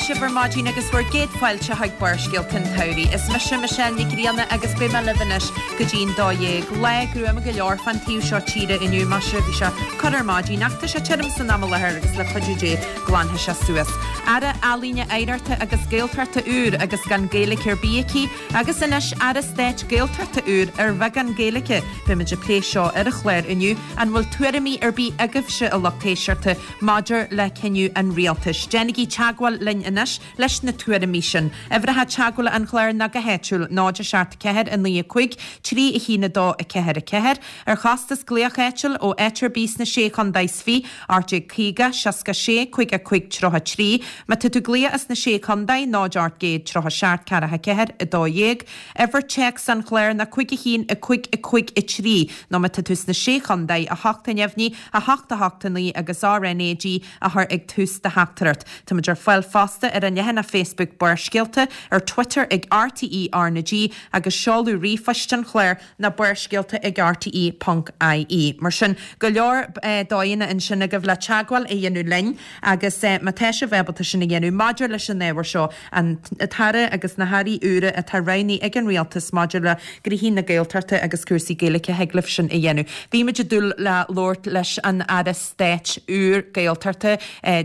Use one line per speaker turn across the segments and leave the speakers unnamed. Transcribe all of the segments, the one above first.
sibh ar maidin agus bhur gcéad fáilte chuig Barrscéalta an tSamhraidh. Is mise Michelle Nic Grianna agus beidh mé libh anois go dtí'n 12. Lá gruama go leor fán taobh seo tíre inniu, maise, bhí sé corr ar maidin ach tá sé tirim san am i láthair agus le cuidiú Dé glanfaidh sé suas. Aire Ealaíne Oidhreachta agus Gaeltachta úr agus gan Gaeilge ar bith aici agus anois Aire Stáit Gaeltachta úr ar bheagán Gaeilge. Beimid ag plé seo ar an chlár inniu. An bhfuil tuairimí ar bith agaibhse, a lucht éisteachta, maidir le cinneadh an rialtais? Déanaigí teagmháil linn anois leis na tuairimí sin. Uimhreacha teagmhála an chláir ná go háitiúil, 0 7 4 9 5 3 1 2 4 4. Ar chostas glaoch áitiúil ó áit ar bith sna Sé Chontae is Fiche, 1850 66 55 33. Má tá tú ag glaoch as na Sé Chontae, 0 800 37 44 12. Uimhir téacs an chláir ná 5 1 5 5 3 nó má tá tú sna Sé Chontae, 8 a neamhní, 8 8 9 agus RnaG a chur ag tús do theachtaireacht. Táimid ar fáil fosta ar an leathanach Facebook Barrscéalta, ar Twitter ag RTÉ RnaG agus seoladh ríomhphoist an chláir ná barrscéalta ag rte ponc ie. Mar sin, go leor dóigheanna ansin agaibh le teagmháil a dhéanamh linn agus má tá sibh ábalta sin a dhéanamh maidir leis an ábhar seo, an tAire agus na hAirí úra atá roghnaithe ag an Rialtas maidir le gnoithí na Gaeltachta agus cúrsaí Gaeilge, thig libh sin a dhéanamh. Bhí muid ag dúil le labhairt leis an Aire Stáit úr Gaeltachta,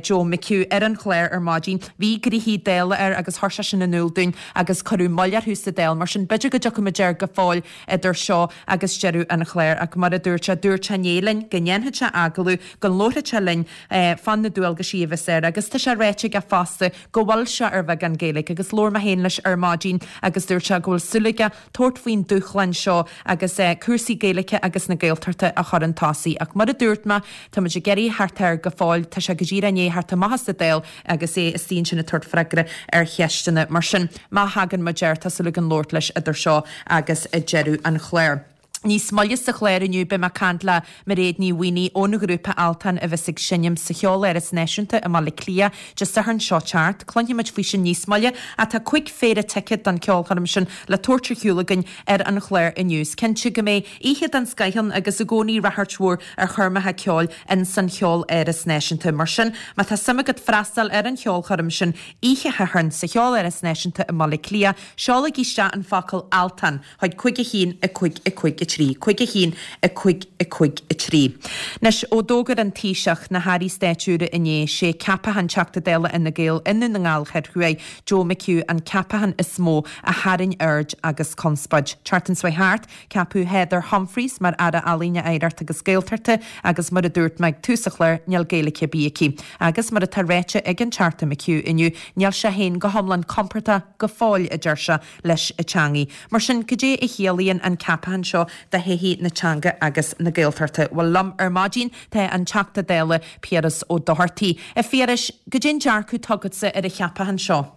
Joe McHugh, ar an chlár ar maidin. Bhí gnoithí Dála air agus chuir sé sin in iúl dúinn agus cuireadh moill orthu sa Dáil. Mar sin, b'fhéidir go dtiocfaidh muid air go fóill idir seo agus deireadh an chláir. Ach mar a dúirt sé, dúirt sé inné linn go ndéanfadh sé agallamh, go labharfadh sé linn fá na dualgaisí a bheas air. Agus tá sé ráite aige fosta go bhfuil sé ar bheagán Gaeilge agus labhair mé féin leis ar maidin agus dúirt sé go bhfuil súil aige tabhairt faoin dúshlán seo agus cúrsaí Gaeilge agus na Gaeltachta a chur chun tosaigh. Ach mar a dúirt mé, tá muid ag iarraidh theacht air go fóill, tá sé go díreach i ndiaidh theacht amach as an Dáil agus é istigh ansin ag tabhairt freagra ar cheisteanna. Mar sin, má thagann muid air, tá súil againn labhairt leis idir seo agus deireadh an chláir. Níos moille sa chlár inniu beidh mé ag caint le Mairéad Ní Mhaonaigh ón ghrúpa Altan a bheas ag seinm sa Cheoláras Náisiúnta i mBaile Átha Cliath Dé Sathairn seo teacht. Cluinfidh muid faoi sin níos moille ach tá 5 phéire ticéad don cheolchoirm sin le tabhairt ar shiúl againn ar an chlár inniu. Is cinnte go mbeidh oíche den scoith ann agus i gcónaí ráchairt mhór ar choirmeacha ceoil in san Cheoláras Náisiúnta. Mar sin, má tá suim agat freastal ar an cheolchoirm sin oíche Shathairn sa Cheoláras Náisiúnta i mBaile Átha Cliath, seolaigí isteach an focal 'Altan' chuig 5 1 5 5 3, 5 1 5 5 3. Anois, ó d'fhógair an Taoiseach na hairí stáit úra inné, sé ceapachán Teachta Dála Fhine Gael i nDún na nGall Thoir Thuaidh, Joe McHugh an ceapachán is mó a tharraing aird agus conspóid. Tseachtain seo thart, Ceapadh Heather Humphreys mar Aire Ealaíne, Oidhreachta agus Gaeltachta agus mar a dúirt mé ag tús an chláir, níl Gaeilge ar bith aici. Agus mar atá ráite ag an Teachta McHugh inniu, níl sé féin go hiomlán compordach go fóill, a deir sé, leis an teangaidh. Mar sin, cad é a chiallaíonn an ceapachán seo do thodhchaí na teanga agus na Gaeltachta? Bhuel, liom ar maidin tá an Teachta Dála Piaras Ó Dochartaigh. A Phiarais, cad é an dearcadh atá agatsa ar an cheapachán seo?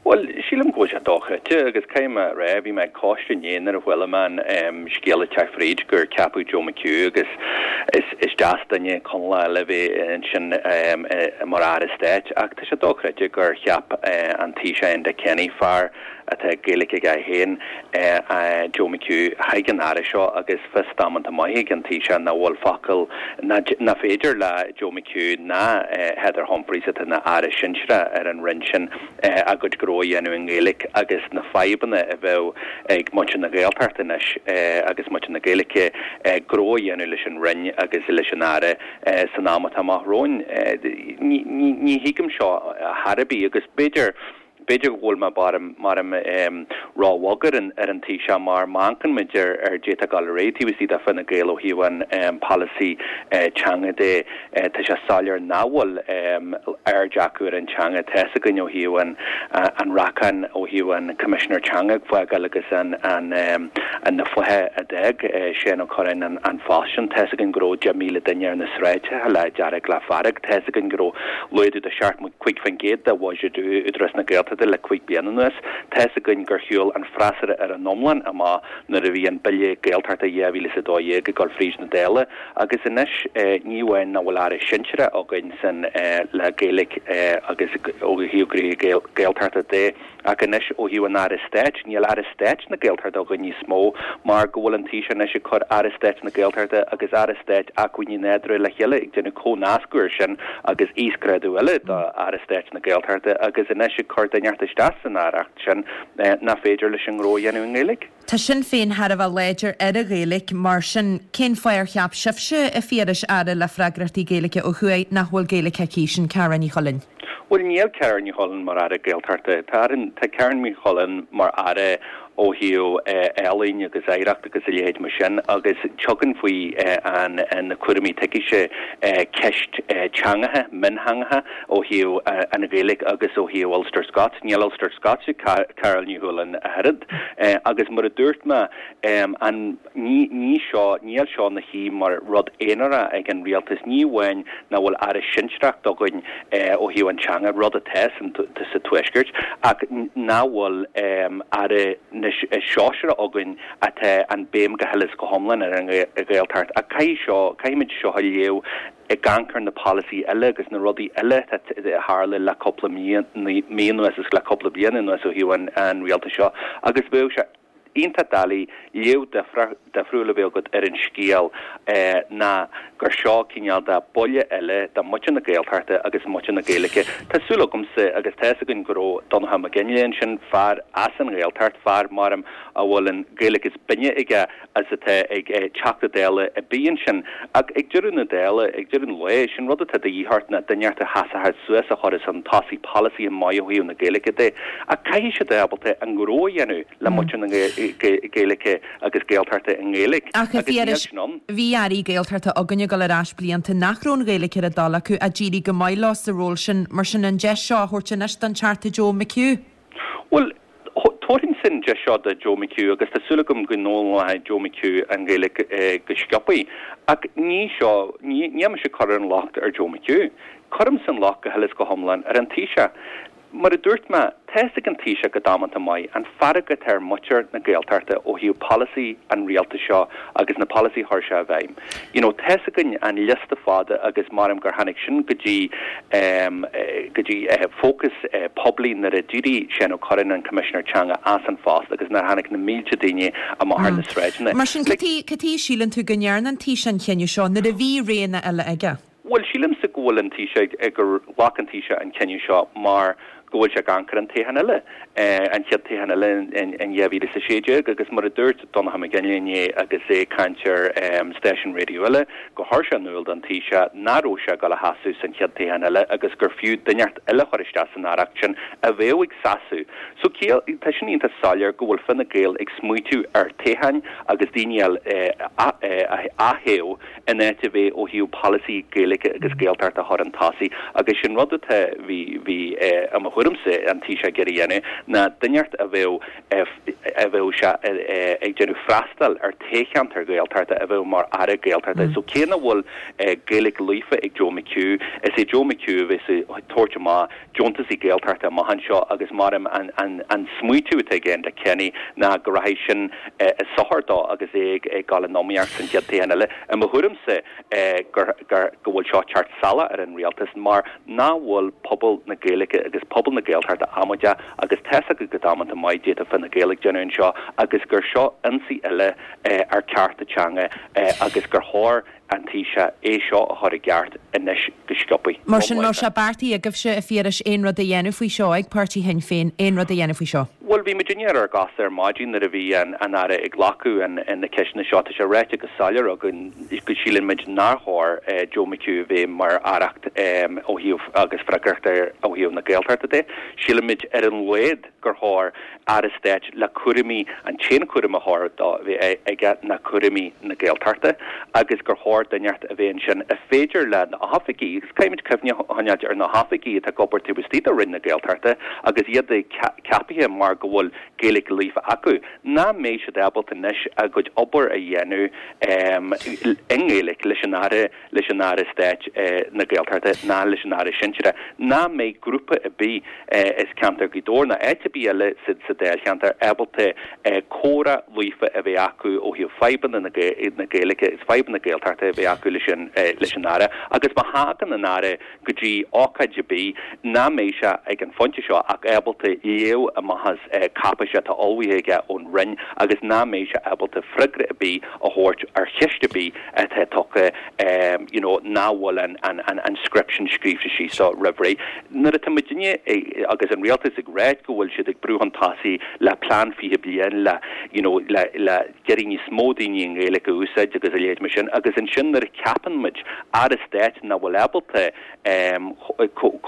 Bhuel, sílim go bhfuil sé dochreidte agus caithfidh mé a rá, bhí mé ag cóiste inné nuair a chuala mé an scéal ag teacht fríd gur ceapadh Joe McHugh agus is deas duine Conallach eile a bheith ansin mar Aire Stáit ach tá sé dochreidte gur cheap an Taoiseach Enda Kenny, fear atá Gaeilge aige féin, Joe McHugh chuig an Aire seo agus fios damanta maith ag an Taoiseach nach bhfuil focal, nach féidir le Joe McHugh ná Heather Humphreys atá ina Aire Sinsearach ar an Roinn sin a gcuid gnó a dhéanamh i nGaeilge agus na fadhbanna a bheadh ag muintir na Gaeltachta anois agus muintir na Gaeilge gnó a dhéanamh leis an Roinn agus leis an Aire san am atá amach romhainn. Ní thuigim seo chor ar bith agus b'fhéidir B'fhéidir go bhfuil mé maram ró-bhog ar an ar an Taoiseach mar má amharcann muid ar ar caidé atá ag dul ar aghaidh taobh istigh de Fine Gael ó thaobh an polasaí teanga de, tá sé soiléir nach bhfuil aird acu ar an teanga. Tá fhios againn ó thaobh an an racáin ó thaobh an Coimisinéir Teanga ag fágáil agus an an na fátha a d'fhág Seán Ó Cuirreáin an an phost sin. Tá fhios againn go raibh 10,000 duine ar na sráideacha le dearg le fearg. Tá fhios againn go raibh laghdú de 75% de bhuiséad Údarás na Gaeltachta le 5 bliana anuas. Tá fhios againn gur shiúil. shiúl an freasúra ar an iomlán amach nuair a bhí an Bille Gaeltachta 2012 ag dul fríd na Dála agus anois ní amháin nach bhfuil Aire sinsearach againn san le Gaeilge agus ó thaobh gnoithí Gaeltachta de Ach anois, ó thaobh an Aire Stáit, níl Aire Stáit na Gaeltachta againn níos mó mar go bhfuil an Taoiseach anois ag cur Aire Stáit na Gaeltachta agus Aire Stáit Acmhainní Nádúrtha le chéile, ag déanamh comhnascadh air sin agus íosghrádú eile do Aire Stáit na Gaeltachta agus anois ag cur duine inteacht isteach san aireacht sin nach féidir leis an ngnó a dhéanamh i nGaeilge.
Tá Sinn Féin thar a bheith láidir ar an Ghaeilge, mar sin cén fáth ar cheap sibhse, a Phiarais, Aire le freagrachtaí Gaeilge ó thuaidh, nach bhfuil Gaeilge aici, sin Carál Ní Chuilinn?
Bhuel, níl Carál Ní Chuilinn mar Aire Gaeltachta. Tá tá Carál Ní Chuilinn mar Aire ó thaobh ealaín agus oidhreacht agus a leithéid mar sin agus tugann faoi an na cúraimí atá aici ceist teangacha, miontheangacha ó thaobh an Ghaeilge agus ó thaobh Ulster Scots. Níl Ulster Scots ag Carál Ní Chuilinn ach oiread. Agus mar a dúirt mé, an. Ní, ní seo, níl seo ina shuí mar rud aonarach ag an rialtas. Ní amháin nach bhfuil aire sinsearach againn ó thaobh an teanga, rud atá san, sa Tuaisceart, ach nach bhfuil aire sóisearach againn atá an béim go huile is go hiomlán ar an Ghaeltacht. Ach caithfidh seo, caithfimid seo a léamh ag amharc ar na polasaithe eile agus na rudaí eile atá a tharla le cúpla mí anuas agus le cúpla bliain anuas ó thaobh an rialtais seo agus bheadh sé iontach doiligh léamh difriúil a bheith agat ar an scéal ná gur seo cineál de buille eile do mhuintir na Gaeltachta agus muintir na Gaeilge. Tá súil agamsa agus tá fhios againn go raibh Donncha Mac Fhionnghaile ansin, fear as an Ghaeltacht, fear maram a bhfuil an Ghaeilge is binne aige is atá ag Teachta Dála ar bith ansin. Ach ag deireadh na dála, ag deireadh an lae, sin rud atá de dhíth ort ná duine inteacht a sheasfadh suas a chuirfeas chun tosaigh polasaithe maithe ó thaobh na Gaeilge de. Ach caithfidh siad a bheith ábalta an gnó a dhéanamh. le muintir na Gaeilge agus Gaeltachta i nGaeilge
Ach a Phiarais, bhí airí Gaeltachta againn ag dul ar ais blianta nach raibh an Ghaeilge ar a dtoil acu ach d'éirigh go maith leo sa ról sin, mar sin an deis seo a thabhairt anois don Teachta Joe McHugh?
Bhuel, tabharfainnse an deis seo do Joe McHugh agus tá súil agam go n-fhoghlaimeoidh Joe McHugh an Ghaeilge go sciobtha. Ach ní seo, níl mise ag cur an locht ar Joe McHugh. Cuirimse an locht go huile is go hiomlán ar an Taoiseach. Mar a dúirt mé, tá fhios ag an Taoiseach go damanta maith an fearg atá ar mhuintir na Gaeltachta ó thaobh polasaí an rialtais seo agus na polasaí a chuir sé i bhfeidhm. You know, tá fhios againn an liosta fada agus maram gur tháinig sin go dtí go dtí fócas poiblí nuair a d'éirigh Seán Ó Cuirreáin, an Coimisinéir Teanga, as an phost agus nuair a tháinig na mílte daoine amach ar na sráideanna.
Mar sin, cad chuige a síleann tú go ndearna an Taoiseach an chinneadh seo nuair a bhí roghanna eile aige?
Bhuel, sílimse go bhfuil an Taoiseach, gur ghlac an Taoiseach an cinneadh seo mar go bhfuil sé ag amharc ar an toghchán eile, an chéad toghchán eile in 2016 agus mar a dúirt Donncha Mac Fhionnghaile inné agus é ag caint ar stáisiún raidió eile, gur chuir sé in iúl don Taoiseach nach raibh sé ag dul a sheasamh san chéad toghchán eile agus gur fiú duine inteacht eile a chur isteach san aireacht sin a bheadh ag seasamh. So, tá sin iontach soiléir go bhfuil Fine Gael ag smaoitiú ar toghcháin agus daoine a aththoghadh in áit a bheith ó thaobh polasaí Gaeilge agus Gaeltachta a chur chun tosaigh agus sin rud atá, bhí, bhí, i mo thuairimse, an Taoiseach ag iarraidh a dhéanamh ná duine inteacht a bheadh, a bheadh sé ag déanamh freastal ar toghcheantar Gaeltachta a bheadh mar Aire Gaeltachta. So cé nach bhfuil Gaeilge líofa ag Joe McHugh, is é Joe McHugh a bheas ag tabhairt amach deontasaí Gaeltachta amach anseo agus maram an smaoitiú atá ag Enda Kenny ná go rachaidh sin i sochar dó agus é ag dul in iomaíocht san chéad toghchán eile. I mo thuairimse gur go bhfuil seo ag teacht salach ar an rialtas mar nach bhfuil pobal na Gaeilge agus pobal na Gaeltachta amaideach agus tá's acu go damanta maith caidé atá Fine Gael ag déanamh anseo agus gur seo ionsaí eile ar cearta teanga agus gur chóir an Taoiseach é seo a chur i gceart anois go sciobtha.
Mar sin, an raibh sé beartaithe agaibhse, a Phiarais, aon rud a dhéanamh faoi seo, ag páirtí Shinn Féin, aon rud a dhéanamh faoi seo?
Bhuel, bhí muidinne ar ár gcosa ar maidin nuair a bhí an Aire ag glacadh na ceisteanna seo. Tá sé ráite go soiléir againn go síleann muid nár chóir Joe McHugh a bheith mar aireacht ó thaobh agus freagracht air ó thaobh na Gaeltachta de. Síleann muid ar an laghad gur chóir Aire Stáit le cúraimí, an t-aon chúram a chóir dó a bheith aige ná cúraimí na Gaeltachta agus gur chóir duine inteacht a bheith ansin a féidir le na hoifigigh, agus caithfimid cuimhne a choinneáilt ar na hoifigigh atá ag obair taobh istigh de Roinn na Gaeltachta agus iad ceapaithe mar go bhfuil Gaeilge líofa acu, nach mbeidh siad ábalta anois a gcuid obair a dhéanamh i nGaeilge leis an Aire, leis an Aire Stáit na Gaeltachta. Gaeltachta ná leis an Aire sinsearach nach mbeidh grúpa ar bith as ceantar Ghaoth Dobhair ná áit ar bith eile sa dáilcheantar ábalta comhrá líofa a bheith acu ó thaobh fadhbanna na Gaeilge is fadhbanna na Gaeltachta a bheith acu leis an Aire agus má thagann an Aire go dtí ócáid ar bith nach mbeidh sé ag an phointe seo ach ábalta léamh amach as cáipéis atá ullmhaithe aige ón Roinn agus nach mbeidh sé ábalta freagra ar bith a thabhairt ar cheist ar bith atá tugtha you know nach bhfuil an an an script sin scríofa síos dó roimh ré. Nuair atá muidinne agus an rialtas ag ráit go bhfuil siad ag brú chun tosaigh le plean 20 bliain le you know le le d'iarraidh níos mó daoine an Ghaeilge a úsáid agus a leithéid mar sin agus ansin nuair a ceapann muid Aire Stáit nach bhfuil ábalta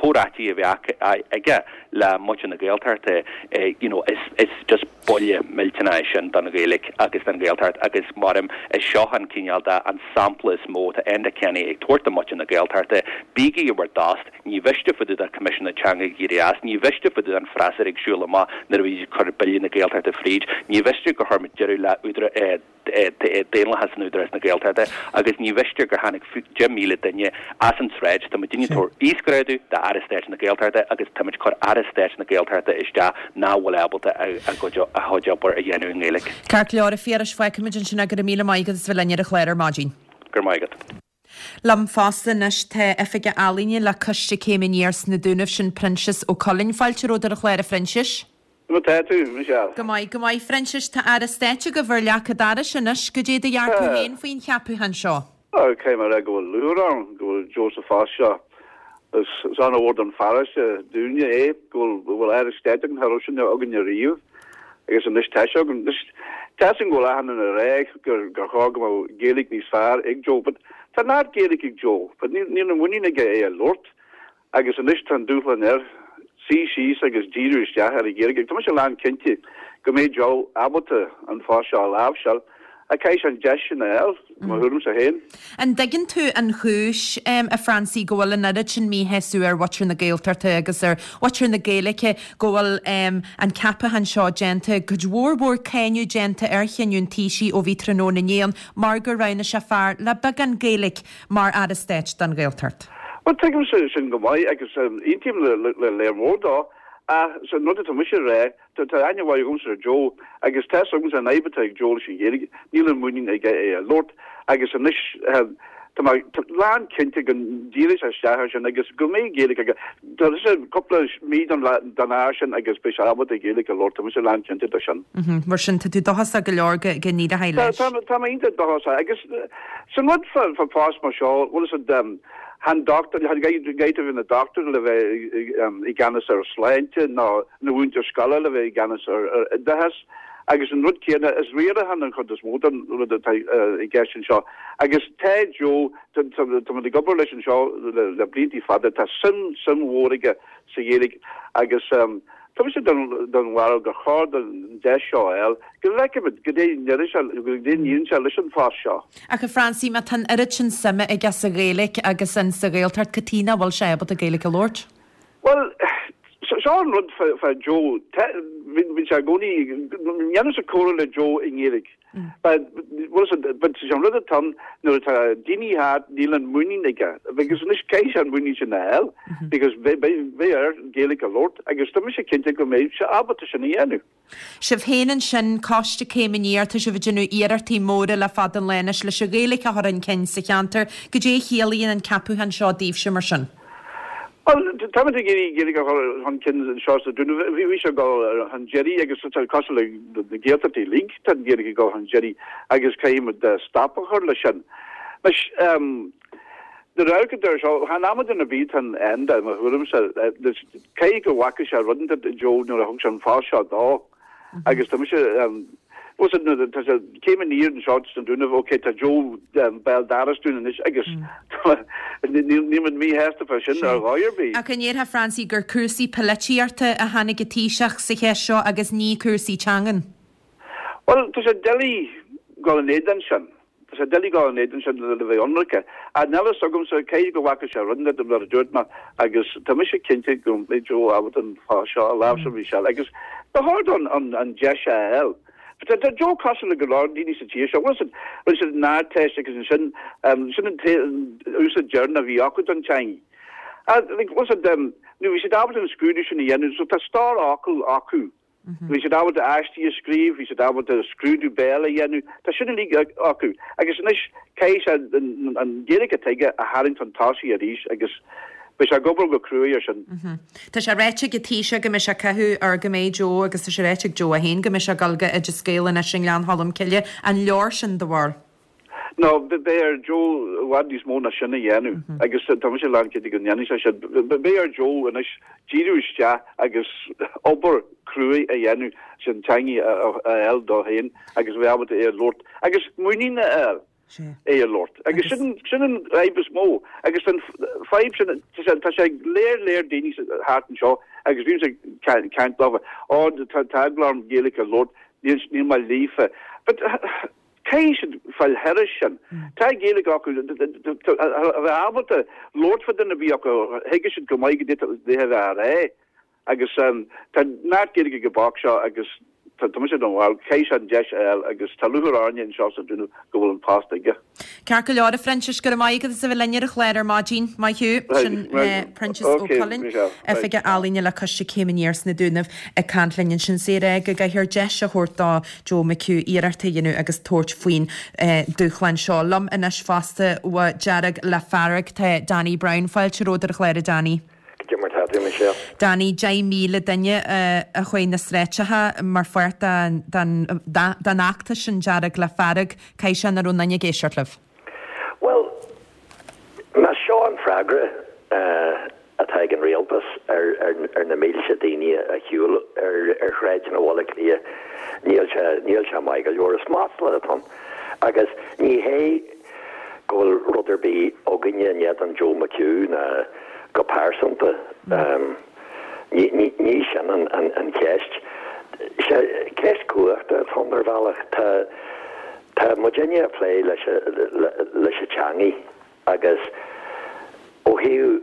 comhráití a bheith aige le muintir na Gaeltachta you know is is just buille millteanach é sin don Ghaeilge agus don Ghaeltacht agus maram is seo an cineál de an sampla is mó atá Enda Kenny ag tabhairt do mhuintir na Gaeltachta bígí i bhur dtost Ní mhiste fá dtaobh de Coimisiún na Teanga ag éirí as, ní mhiste fá dtaobh den freasúra ag siúl amach nuair a bhí siad ag cur Bille na Gaeltachta fríd, ní mhiste gur chuir muid deireadh le daonlathas in Údarás na Gaeltachta agus ní mhiste gur tháinig 10,000 duine as an tsráid. Tá muidinne ag tabhairt íosghrádú d'Aire Stáit na Gaeltachta agus táimid ag cur Aire Stáit na Gaeltachta isteach nach bhfuil ábalta a chuid obair a dhéanamh i
nGaeilge. Ceart go leor, a Phiarais, fágfaimid ansin é, go raibh míle maith agat as bheith linn ar an chlár ar maidin.
Go raibh maith agat.
Liom fosta anois tá Oifigeach Ealaíne le Coiste Céim Aniar sna Dúnaibh, sin Proinsias Ó Cuilinn. Fáilte romhat ar an chlár, a Phroinsiais.
Conas tá tú, Michelle?
Go maith, go maith. Phroinsiais, tá Aire Stáit agaibh ar leac an dorais anois. Goidé do dhearcadh féin faoin cheapúchán seo?
Caithfidh mé a rá go bhfuil lúcháir orm go bhfuil Joe sa phost seo. Is an-mhór don pharóiste, dúinne é, go bhfuil Aire Stáit againn, cha raibh sin againne riamh agus anois tá sé againn. Anois, tá 'fhios agam go bhfuil achan duine ag rá gur gur chóir go mbeadh Gaeilge níos fearr ag Joe, but tá neart Gaeilge ag Joe, but níl níl an mhuinín aige é a labhairt agus anois tá an dúshlán air suí síos agus díriú isteach ar an Ghaeilge. Tá mise lán cinnte go mbeidh Joe ábalta an phost seo a láimhseáil Ach caithfidh sé an deis sin a fháil, mo thuairimse féin.
An dtuigeann tú an chúis, a Phransie, go bhfuil an oiread sin míshásamh ar mhuintir na Gaeltachta agus ar mhuintir na Gaeilge go bhfuil an ceapachán seo déanta, cuid mhór mhór cáineadh déanta ar chinneadh an Taoisigh ó bhí tráthnóna inné ann mar gur roghnaigh sé fear le beagán Gaeilge mar Aire Stáit don Ghaeltacht?
Bhuel, tuigimse sin go maith agus aontaím le léir mhór dó, ach an rud atá mise a rá, Tá aithne mhaith agamsa ar Joe agus tá 'fhios agamsa an fhadhb atá ag Joe leis an Ghaeilge, níl an muinín aige é a labhairt agus anois tá mé lán cinnte go ndíreoidh sé isteach air sin agus go mbeidh Gaeilge aige. Tá sé cúpla mí don fhear sin agus beidh sé ábalta Gaeilge a labhairt, tá mise lán cinnte de sin.
Mar sin, tá tú dóchasach go leor go n-éireoidh leis.
Tá mé iontach dóchasach agus san rud fá phost mar seo, bhfuil 'fhios a'd, Chan dochtúir, chan caithfidh tú bheith ina dochtúir le bheith i gceannas ar shláinte ná ina mhúinteoir scoile le bheith i gceannas ar oideachas. Agus an rud céanna, is riarachán an chuid is mó den rud atá i gceist anseo. Agus tá Joe, tá muid ag obair leis anseo le blianta fada, tá suim, suim mhór aige sa Ghaeilge agus tá mise den bharúil gur chóir dó an deis seo a fháil, go bhfeicfimid goidé a ndéarfaidh sé, goidé a ndéanann sé leis an phost seo.
Ach a Phransie, má tá an oiread sin suime aige sa Ghaeilge agus in sa Ghaeltacht, cad chuige nach bhfuil sé ábalta Gaeilge a labhairt?
Bhuel, seo an rud fá Joe, bíonn sé i gcónaí, ndéanaimse comhrá le Joe i nGaeilge. But, bhuel, but sé an rud atá ann, nuair atá daoine thart, níl an muinín aige. Because anois caithfidh sé an muinín sin a fháil, because beidh air Gaeilge a labhairt agus tá mise cinnte go mbeidh sé ábalta sin a dhéanamh.
Sibh féin ansin, Coiste Céim Aniar, tá sibh ag déanamh iarrachtaí móra le fada an lá anois leis an Ghaeilge a chur chun cinn sa cheantar. Goidé a chiallaíonn an ceapúchán seo daoibhse mar sin?
Bhuel, táimid ag iarraidh Gaeilge a chur chun cinn anseo sna Dúnaibh. Bhí sé ag dul chun deiridh agus tá cosúil le na Gaeltachtaí uilig, tá an Ghaeilge ag dul chun deiridh agus caithfimid stop a chur leis sin. Anois, nuair a amharcann tú air seo, chan amadán ar bith atá in Enda, i mo thuairimse. Caithfidh go bhfaca sé rud inteacht i Joe nuair a thug sé an phost seo dó agus tá mise, bhfuil 'fhios a'd nuair tá sé céim aniar anseo sna Dúnaibh, ok tá Joe béal dorais dúinn anois agus níl muid míshásta fá sin ar dhóigh ar bith.
Ach an ndéarfá Francie gur cúrsaí poilitíochta a tháinig an Taoiseach sa cheist seo agus ní cúrsaí teangan?
Bhuel tá sé doiligh dul in éadan sin. Tá sé doiligh dul in éadan sin le bheith ionraice. Ach níl a fhios agamsa, caithfidh go bhfaca sé rud inteacht mar a dúirt mé agus tá mise cinnte go mbeidh Joe ábalta an post seo a láimhseáil Michelle agus ba chóir dó an deis a fháil. Tá Joe cosúil le go leor daoine sa tír seo. Bhfuil 'fhios a'd, rinne siad an Ardteist agus ansin, sin an t-úsáid deireanach a bhí acu don teanga. Like, bhfuil a fhios a'd, nó bhí siad ábalta an scrúdú sin a dhéanamh, so tá stór fhocal acu. Bhí siad ábalta aistí a scríobh, bhí siad ábalta scrúdú béil a dhéanamh, tá sin uilig acu. Agus anois caithfidh sé an Ghaeilge atá aige a tharraingt chun tosaigh arís agus beidh sé ag obair go cruaidh ar sin.
Tá sé ráite ag an Taoiseach go mbeidh sé ag caitheamh ar go mbeidh Joe agus tá sé ráite ag Joe é féin go mbeidh sé ag dul go Oideas Gael anois i nGleann Cholm Cille. An leor sin do bharúil?
No, beidh ar Joe i bhfad níos mó ná sin a dhéanamh agus tá mise lánchinnte go ndéanfaidh sé sin. Beidh ar Joe anois díriú isteach agus obair cruaidh a dhéanamh sin teangaidh a fháil dó féin agus a bheith ábalta é a labhairt agus muinín a fháil é a labhairt. Agus sin sin an fhadhb is mó agus an fadhb sin tá sé ag léir léir daoine thart anseo agus bímse ag caint leofa, ó tá eagla orm Gaeilge a labhairt, níl mé líofa. But Caithfidh siad fáil thairis sin. Tá Gaeilge acu, a bheith ábalta labhairt fá duine ar bith acu, thuigfidh siad go maith goidé a bheith á rá. Agus tá neart Gaeilge ag an boc seo agus tá mise den bharúil, caithfidh sé an deis a fháil agus tá lúcháir orainne anseo sa Dúnaibh go bhfuil an post aige.
Ceart go leor, a Phroinsiais, go raibh maith agat as a bheith linn ar an chlár ar maidin. Maith thú. Sin Proinsias Ó Cuilinn, Oifigeach Ealaíne le Coiste Céim Aniar sna Dúnaibh ag caint linn ansin. Is é ag rá go gcaithfear deis a thabhairt do Joe McHugh iarracht a dhéanamh agus tabhairt faoin dúshlán seo. Liom anois fosta ó Dearg le Fearg tá Danny Brown. Fáilte romhat ar an chlár a Danny.
Goidé mar tá tú, Michelle?
Danny, 10,000 duine a chuaigh na sráideacha mar pháirt den fheachtas sin Dearg le Fearg. Caithfidh sé nach raibh aon duine ag éisteacht libh?
Bhuel, más seo an freagra atá ag an rialtas ar na mílte daoine a shiúil ar shráideanna Bhaile Átha Cliath, níl sé, níl sé maith go leor. Is masla atá ann. Agus ní hé go bhfuil rud ar bith againne in éadan Joe McHugh ná go pearsanta. Ní, ní sin an cheist. Ceist cumhachta atá ann ar bhealach. Tá, tá muidinne ag plé leis, leis an teangaidh agus ó thaobh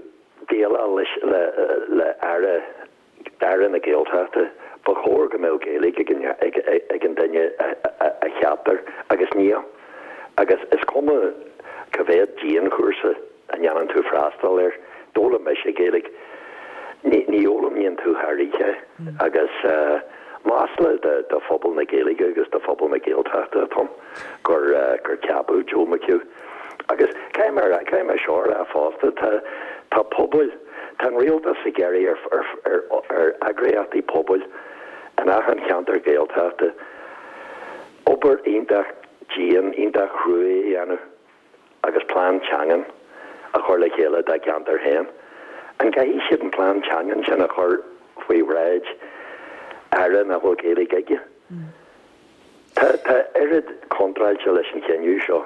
déileáil leis, le, le Aire, Aire na Gaeltachta, ba chóir go mbeadh Gaeilge ag an, ag, ag an duine a, a, a cheaptar agus níl. Agus is cuma cá mhéad dianchúrsa a ndéanann tú freastal air. D'fhoghlaim mise Gaeilge. Ní fhoghlaimíonn tú thar oíche agus masla do phobal na Gaeilge agus do phobal na Gaeltachta atá ann gur gur ceapadh Joe McHugh. Agus caithfidh mé caithfidh mé seo a rá fosta, tá tá pobail, tá an rialtas ag iarraidh ar ar ar eagraíochtaí pobail in achan cheantar Gaeltachta obair iontach dian, iontach chruaidh a dhéanamh. agus plean teangan a chur le chéile dá gceantar féin. An gcaithfidh siad an plean teangan sin a chur faoi bhráid Aire nach bhfuil Gaeilge aige? Tá tá oiread contráilte leis an chinneadh seo.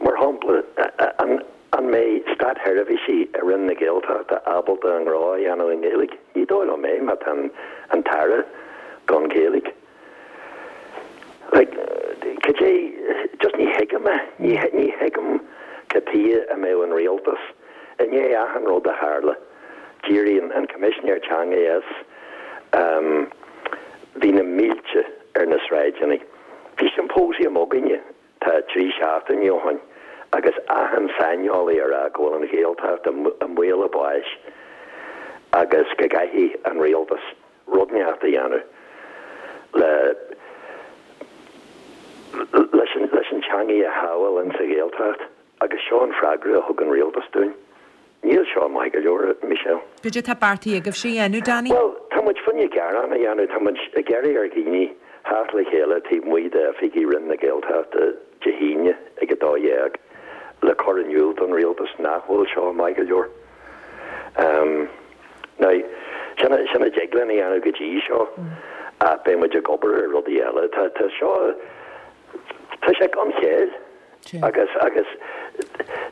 Mar shampla, an an mbeidh státsheirbhísigh i Roinn na Gaeltachta ábalta a ngnó a dhéanamh i nGaeilge? Ní dóigh liom é má tá an tAire gan Gaeilge. Like, cad é, just ní thuigim é, ní, ní thuigim cad tuighe a mbeadh an rialtas, i ndiaidh achan rud a tharla, d'éirigh an, an Coimisinéir Teanga as, um, bhí na mílte ar na sráideanna. Bhí symposium againne tá 3 seachtainí ó shoin agus achan saineolaí ag rá go bhfuil an Ghaeltacht i, i mbaol a báis agus go gcaithfidh an rialtas rud inteacht a dhéanamh le leis an leis an teangaidh a shábháil in sa Ghaeltacht agus seo an freagra a thug an rialtas dúinn. Níl seo maith go leor, a Michelle.
Goidé tá beartaithe agaibhse a dhéanamh, Danny?
Bhuel, tá muid fá choinne gearán a dhéanamh, tá muid ag iarraidh ar dhaoine theacht le chéile taobh amuigh d'oifigí Roinn na Gaeltachta Dé hAoine ag 12 le cur in iúl don rialtas nach bhfuil seo maith go leor. Now, sin a, sin a dtig linn a dhéanamh go dtí seo ach beidh muid ag obair ar rudaí eile. Tá, tá seo, tá sé gan chéill agus, agus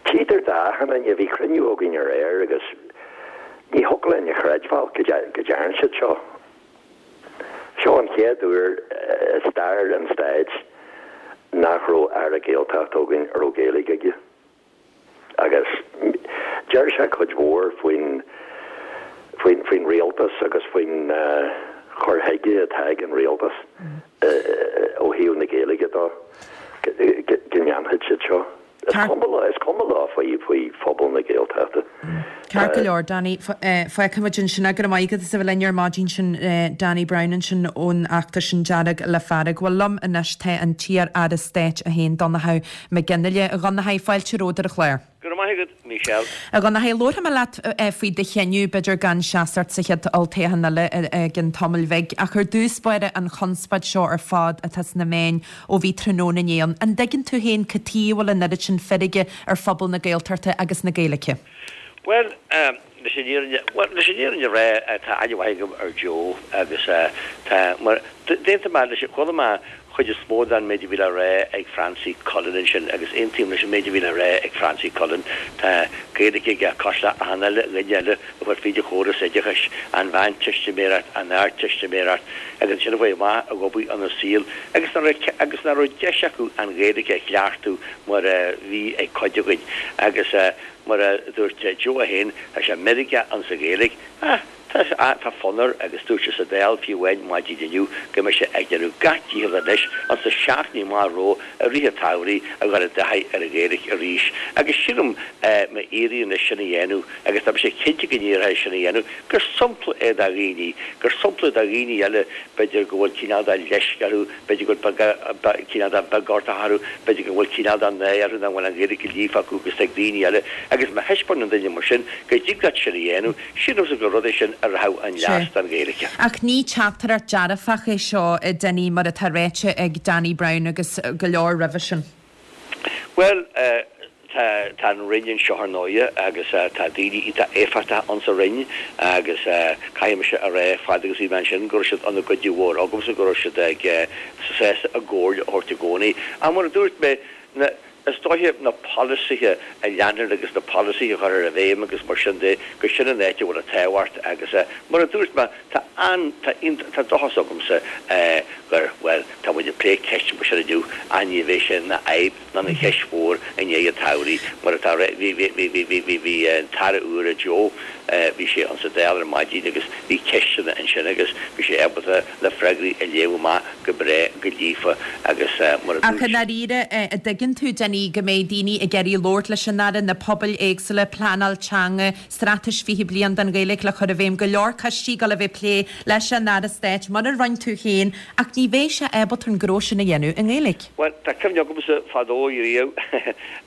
tchítear d'achan duine, bhí cruinniú againn aréir agus ní thiocfadh linn a chreidbheáil go, go dtearn siad seo. Seo an chéad uair i stair an stáit nach raibh Aire Gaeltachta againn a raibh Gaeilge aige. Agus deir sé cuid mhór faoin faoin faoin rialtas agus faoin chur chuige atá ag an rialtas ó thaobh na Gaeilge de go ndéanfaidh siad seo. Is cuma leo, is cuma leo faoi, faoi phobal na Gaeltachta.
Ceart go leor, Danny. Fágfaimid ansin é. Go raibh maith agat as a bheith linn ar maidin sin, Danny Brown ansin ón fheachtas sin Dearg le Fearg. Bhuel, liom anois tá an t-iar-aire stáit é féin, Donnchadh Mac Fhionnghaile. A Dhonnchaidh, fáilte romhat ar an chlár.
Go raibh maith agat, Michelle.
A Dhonnchaidh, labharfaidh mé leat faoi do chinneadh, b'fhéidir gan seasamh sa chéad olltoghchán eile i gcionn tamaill bhig, ach ar dtús báire an chonspóid seo ar fad atá sna meáin ó bhí tráthnóna inné ann, an dtuigeann tú féin cad tuige a bhfuil an oiread sin feirge ar phobal na Gaeltachta agus na Gaeilge?
Bhuel, leis an fhírinne, bhuel, leis an fhírinne a rá, tá aithne mhaith agam ar Joe agus tá, mar, d'aontaigh mé leis, chuala mé chuid is mó den méid a bhí le rá ag Francie Cullen ansin agus aontaím leis an méid a bhí le rá ag Francie Cullen. Tá Gaeilge aige cosúil le achan uile dhuine eile a chuaigh fríd an chóras oideachais, an mheánteistiméireacht, an ardteistiméireacht agus ansin a chuaigh amach ag obair ina saol agus nach raibh agus nach raibh deis acu an Ghaeilge a chleachtadh mar a bhí ag cuid againn agus mar a dúirt Joe é féin, tá sé meirgeach insa Ghaeilge. Ah! Tá, tá fonn air agus dúirt sé sa Dáil fiú amháin maidin inniu go mbeidh sé ag déanamh gach dícheall anois ins na seachtainí amach romhainn i rith an tsamhraidh a dhul i dtaithí ar an Ghaeilge arís agus sílim má éiríonn leis sin a dhéanamh agus tá mise cinnte go n-éireoidh leis sin a dhéanamh gur sampla é do dhaoine, gur sampla do dhaoine eile b'fhéidir go bhfuil cineál de leisce orthu, b'fhéidir go bhfuil cineál de bheagortach orthu, b'fhéidir go bhfuil cineál de náire orthu nach bhfuil an Ghaeilge líofa acu agus ag daoine eile agus má thaispeánann duine mar sin go dtig leat sin a dhéanamh Sílimse gur rud é sin a rachadh chun leas don Ghaeilge.
Ach ní teachtaireacht dearfach é seo, a Dinny, mar atá ráite ag Danny Brown agus go leor roimhe sin.
Bhuel, tá, tá an Roinn anseo ar ndóighe agus tá daoine iontach éifeachtach ann sa Roinn agus caithfidh mise a rá fad agus a bhí mé ansin go raibh siad ina gcuidiú mhór agamsa, go raibh siad ag, sásta a gcomhairle a thabhairt i gcónaí. Ach mar a dúirt mé, na. Is dóiche na polasaithe a leanúint agus na polasaithe a chur i bhfeidhm agus mar sin de, gur sin an áit a bhfuil an tábhacht agus mar a dúirt mé, tá an, tá, tá dóchas agamsa gur, bhuel, tá muid ag plé ceist mar sin inniu ach ní bheidh sé ina fhadhb ná ina cheist mhór i ndiaidh an tsamhraidh mar atá, bhí, bhí, bhí, bhí, bhí, bhí, bhí an tAire úr, Joe, bhí sé ann sa Dáil ar maidin agus bhí ceisteanna ansin agus bhí sé ábalta na freagraí a léamh amach go breá go líofa agus mar a
Ach i
dúirt.
ndáiríre, an dtuigeann tú, Dinny, go mbeidh daoine ag iarraidh labhairt leis an Aire, na pobail éagsúla, pleanáil teanga, straitéis 20 bliain don Ghaeilge le cur i bhfeidhm, go leor coistí ag dul a bheith ag plé leis an Aire Stáit, mar a rinne tú féin, ach ní bheidh sé ábalta an gnó sin a dhéanamh i nGaeilge.
Bhuel, tá cuimhne agamsa fadó riamh,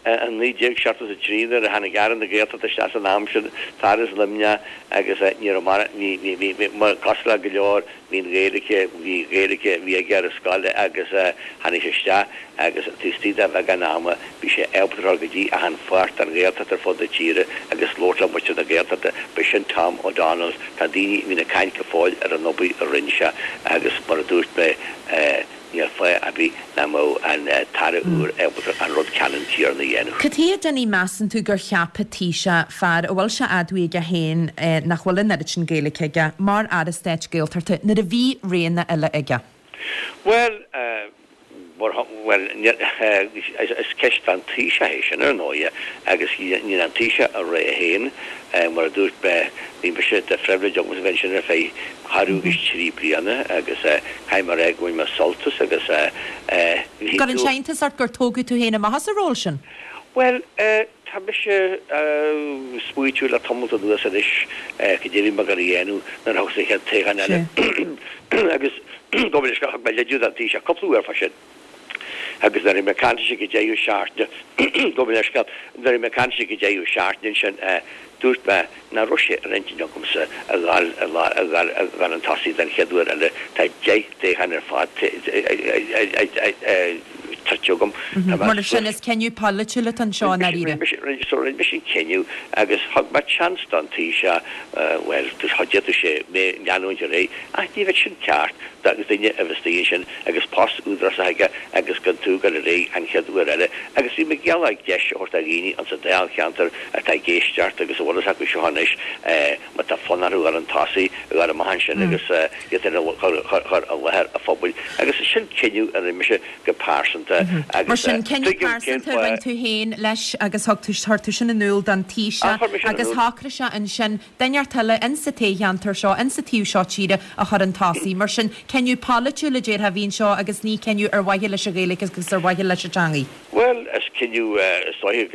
i 1973 nuair a tháinig Aire na Gaeltachta isteach san am sin, fear as Luimneach agus ní raibh mar, bhí, bhí, bhí, bhí, mar, cosúil le go leor, Bhí an Ghaeilge, bhí Gaeilge, bhí aige ar an scoil agus tháinig sé isteach agus taobh istigh de bheagán ama bhí sé ábalta dul go dtí achan pháirt den Ghaeltacht ar fud na tíre agus labhairt le muintir na Gaeltachta. Ba sin Tom O'Donnell. Tá daoine a bhíonn ag caint go fóill ar an obair a rinne sé agus mar a dúirt mé, Níl fáth ar bith nach mbeadh an tAire úr ábalta an rud ceannann céanna a dhéanamh.
Cad chuige, a Dinny, measann tú gur cheap an Taoiseach fear a bhfuil sé admhaithe aige féin nach bhfuil an oiread sin Gaeilge aige, mar Aire Stáit Gaeltachta nuair a bhí roghanna eile aige?
Bhuel, bhuel, is ceist don Taoiseach é sin, ar ndóighe, agus níl an Taoiseach a rá féin. Mar a dúirt mé, bhí mise, de phribhléid agamsa bheith ansin ar feadh ceathrú agus trí bliana agus caithfidh mé a rá go bhain mé sult as agus
bhí. Cuireann sé iontas ort gur tógadh tú féin amach as an ról sin?
Bhuel, tá mise smaoitiú le tamalt anuas anois cad é a bhí mé ag dul a dhéanamh nuair a thiocfas an chéad toghchán eile agus gabh mo leithscéal, thug mé leide don Taoiseach cúpla uair fá sin. Agus nuair a bhí mé ag caint leis ag an deireadh seachtaine, gabh mo leithscéal, nuair a bhí mé ag caint leis ag an deireadh seachtaine ansin, dúirt mé nach raibh sé ar intinn agamsa a dhul a dhul a dhul chun tosaigh den chéad uair eile. Tá 10 dtoghchán ar fad tuillte agam.
Tá mé Mar sin, is cinneadh polaitiúil atá anseo i ndáiríre.
So rinne mise an cinneadh agus thug mé chance don Taoiseach, bhuel, d'fhéadfadh sé mé leanúint ar aghaidh ach ní bheadh sin ceart do dhuine a bheith istigh ansin agus post údarásach aige agus gan tú dul ar aghaidh an chéad uair eile agus bhí mé ag iarraidh deis a thabhairt do dhaoine insa Dáilcheantar atá ag éisteacht agus a bhfuil fhios acu seo anois má tá fonn orthu dhul chun tosaigh, a dhul amach ansin agus iad féin a chur i láthair an phobail agus sin cinneadh a rinne mise go pearsanta. agus
Mar sin, cinneadh
tuigim cén
pearsanta a rinne
fáth.
tú féin leis agus thug tú, chuir tú sin in iúl don
Ah,
Taoiseach
chuir mé sin in
agus
iúl.
shocraigh sé ansin duine inteacht eile insa toghcheantar seo, insa taobh seo tíre a chur chun tosaigh. Mar sin, cinneadh polaitiúil a déarfá a bhí anseo agus ní cinneadh ar mhaithe leis an Ghaeilge agus ar mhaithe leis an teangaidh.
Bhuel, is cinneadh, is dóiche,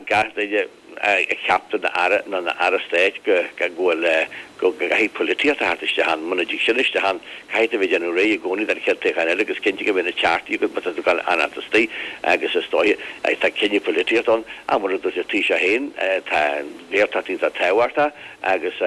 gach duine a cheaptar ina aire nó ina aire stáit go bhfuil, go gcaithfidh polaitíocht a theacht isteach ann. Muna dtig sin isteach ann, caithfidh tú a bheith ag déanamh réidh i gcónaí don chéad toghchán eile agus cinnte go mbeidh na ceartaí agat má tá tú ag dul a fhanacht istigh agus is dóiche, tá cinneadh polaitíochta ann. Ach mar a dúirt an Taoiseach féin, tá an Ghaeltacht iontach tábhachtach agus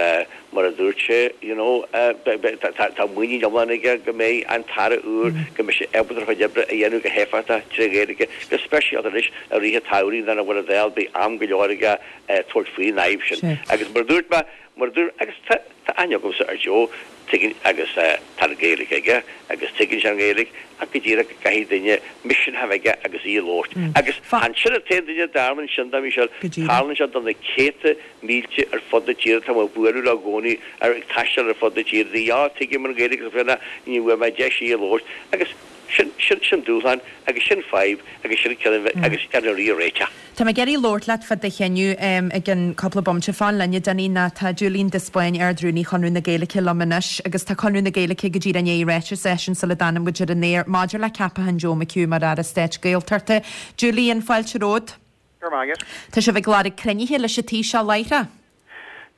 mar a dúirt sé, you know, tá muinín iomlán aige go mbeidh an tAire úr, go mbeidh sé ábalta a chuid oibre a dhéanamh go héifeachtach tré Ghaeilge, go speisialta anois i rith an tsamhraidh nuair nach bhfuil an Dáil, beidh am go leor aige tabhairt faoin fhadhb sin. Agus mar a dúirt mé, mar a dúirt, agus tá aithne agamsa ar Joe, tuigeann, agus tá an Ghaeilge aige agus tuigeann sé an Ghaeilge ach go díreach go gcaithfidh duine misneach a bheith aige agus í a labhairt. Agus chan sin an t-aon duine a dtarlaíonn sin do, Michelle, tarlaíonn sé do na céadta mílte ar fud na tíre, tá mé ag bualadh leo i gcónaí, ar ag taisteal ar fud na tíre, daoine, á, tuigim an Ghaeilge agus féna, ní bhfuair mé deis í a labhairt. Agus sin, sin, sin dúshlán agus sin fadhb agus sin ceann agus ar na rí a réiteach.
Tá mé ag iarraidh labhairt leat fá do chinneadh i gceann cúpla bomaite. Fan linn, a Dinny, nó tá Julian de Spáinn, Ard-Rúnaí Chonradh na Gaeilge liom anois agus tá Conradh na Gaeilge go díreach i ndiaidh ráiteas a eisiúint sula dtáinig muid ar an aer maidir le ceapachán Joe McHugh mar Aire Stáit Gaeltachta. Julian, fáilte romhat.
Go raibh maith agat.
Tá sibh ag lorg cruinnithe leis an Taoiseach láithreach?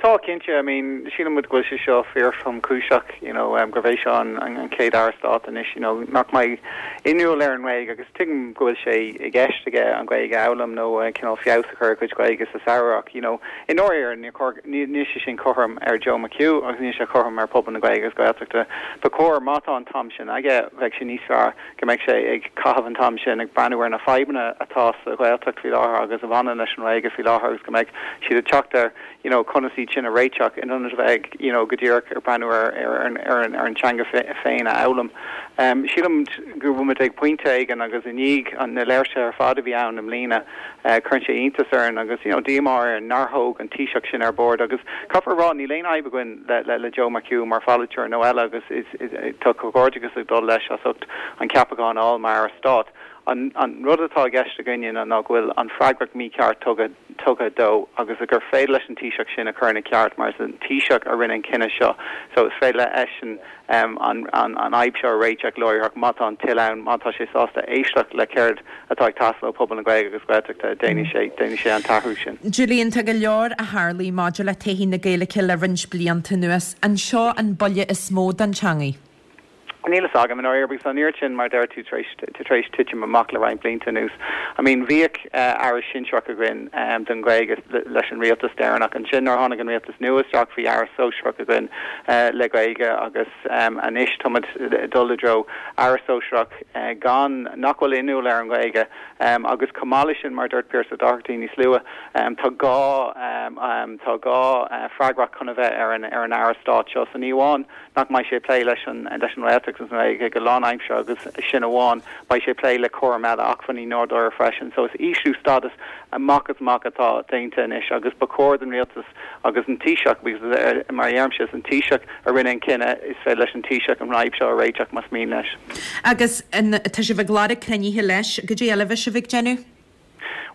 Tá, cinnte. I mean, síleann muid go bhfuil sé seo fíor-thromchúiseach, you know, gurb é seo an an chéad Aire Stáit anois, you know, nach mbeidh inniúil ar an nGaeilge agus tuigim go bhfuil sé i gceist aige an Ghaeilge a fhoghlaim nó cineál feabhas a chur ar a chuid Gaeilge sa samhradh ach, you know, i ndáiríre níor chóir, níl sé sin cothrom ar Joe McHugh agus níl sé cothrom ar phobal na Gaeilge agus Gaeltachta. Ba chóir, má tá an t-am sin aige, bheadh sé níos fearr go mbeadh sé ag caitheamh an t-am sin ag breathnú ar na fadhbanna atá sa Ghaeltacht faoi láthair agus a bhaineann leis an nGaeilge faoi láthair agus go mbeadh siad ag teacht ar you know conas iad sin a réiteach in ionad a bheith ag you know go díreach ag breathnú ar ar ar an ar an teanga féin a fhoghlaim. Sílim go bhfuil muid ag pointe éigin agus i ndiaidh an na léirsithe ar fad a bhí ann i mbliana cuireann sé iontas orainn agus you know díomá orainn nár thóg an Taoiseach sin ar bord agus caithfear a rá níl aon fhadhb againn le le le Joe McHugh mar pholaiteoir nó eile agus is Tá comhghairdeachas ag dul leis as ucht an ceapachán a fháil mar Aire Stáit. An rud atá i gceist againne ná go bhfuil an freagracht mícheart tugtha tugtha dó agus gur féidir leis an Taoiseach sin a chur ina ceart mar is an Taoiseach a rinne an cinneadh seo so is féidir leisean an an an fhadhb seo a réiteach láithreach má tá an toil ann, má tá sé sásta éisteacht le céard atá ag teastáil ó phobal na Gaeilge agus Gaeltachta, déanfaidh sé, déanfaidh sé an t-athrú sin.
Julian, tá go leor a tharlaigh maidir le todhchaí na Gaeilge le roinnt blianta anuas. An seo an buille is mó don teangaidh?
Níl fhios agam, i ndáiríre, because tá an oiread sin, mar a deir tú, tar éis, tar éis titim amach le roinnt blianta anuas. I mean, bhíodh Aire sinsearach againn don Ghaeilge leis an rialtas deireanach. Ansin nuair a tháinig an rialtas nua isteach, bhí Aire sóisearach againn le Gaeilge agus anois táimid ag dul i dtreo Aire sóisearach gan, nach bhfuil inniúil ar an nGaeilge agus chomh maith leis sin, mar a dúirt Pearse Ó Dochartaigh níos luaithe, tá gá, tá gá freagracht chun a bheith ar an, ar an Aire Stáit seo. So ní amháin nach mbeidh sé ag plé leis an, leis an nGaeltacht agus an Ghaeilge go lánaimseartha agus sin amháin, beidh sé ag plé le cúram eile, acmhainní nádúrtha freisin. So is ísliú stádas amach is amach atá déanta anois agus ba chóir don Rialtas agus an Taoiseach, because mar a deirimse, is an Taoiseach a rinne an cinneadh, is féidir leis an Taoiseach an fhadhb seo a réiteach más mian leis.
Agus tá sibh ag lorg cruinnithe leis, goidé eile a bheidh sibh ag déanamh?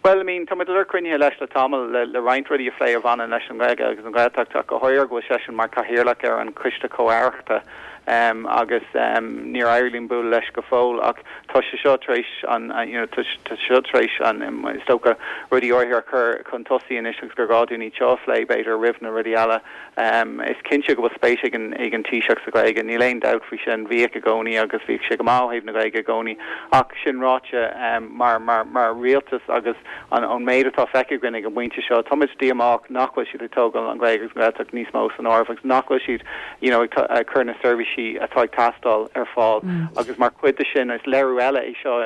Bhuel, I mean, tá muid ag lorg cruinnithe leis le tamall le le roinnt rudaí a phlé a bhaineann leis an nGaeilge agus an Ghaeltacht ach go háirithe go bhfuil seisean mar cathaoirleach ar an Choiste Comh-Aireachta agus níor éirigh linn bualadh leis go fóill ach tá sé seo tar éis an you know tá sé seo tar éis an is dócha rudaí áirithe a chur chun tosaigh anois agus gur gá dúinn iad seo a phlé b'fhéidir roimh na rudaí eile. Is cinnte go bhfuil spéis ag an ag an Taoiseach sa Ghaeilge, níl aon dabht faoi sin, bhíodh i gcónaí agus bhíodh sé go maith ó thaobh na Gaeilge i gcónaí ach sin ráite mar mar mar rialtas agus an ón méid atá feicthe againn ag an bpointe seo táimid díomách nach bhfuil siad ag tógáil an Ghaeilge agus an Ghaeltacht níos mó san áireamh agus nach bhfuil siad you know ag cur na seirbhísí atá ag teastáil ar fáil agus mar chuid de sin is léiriú eile é seo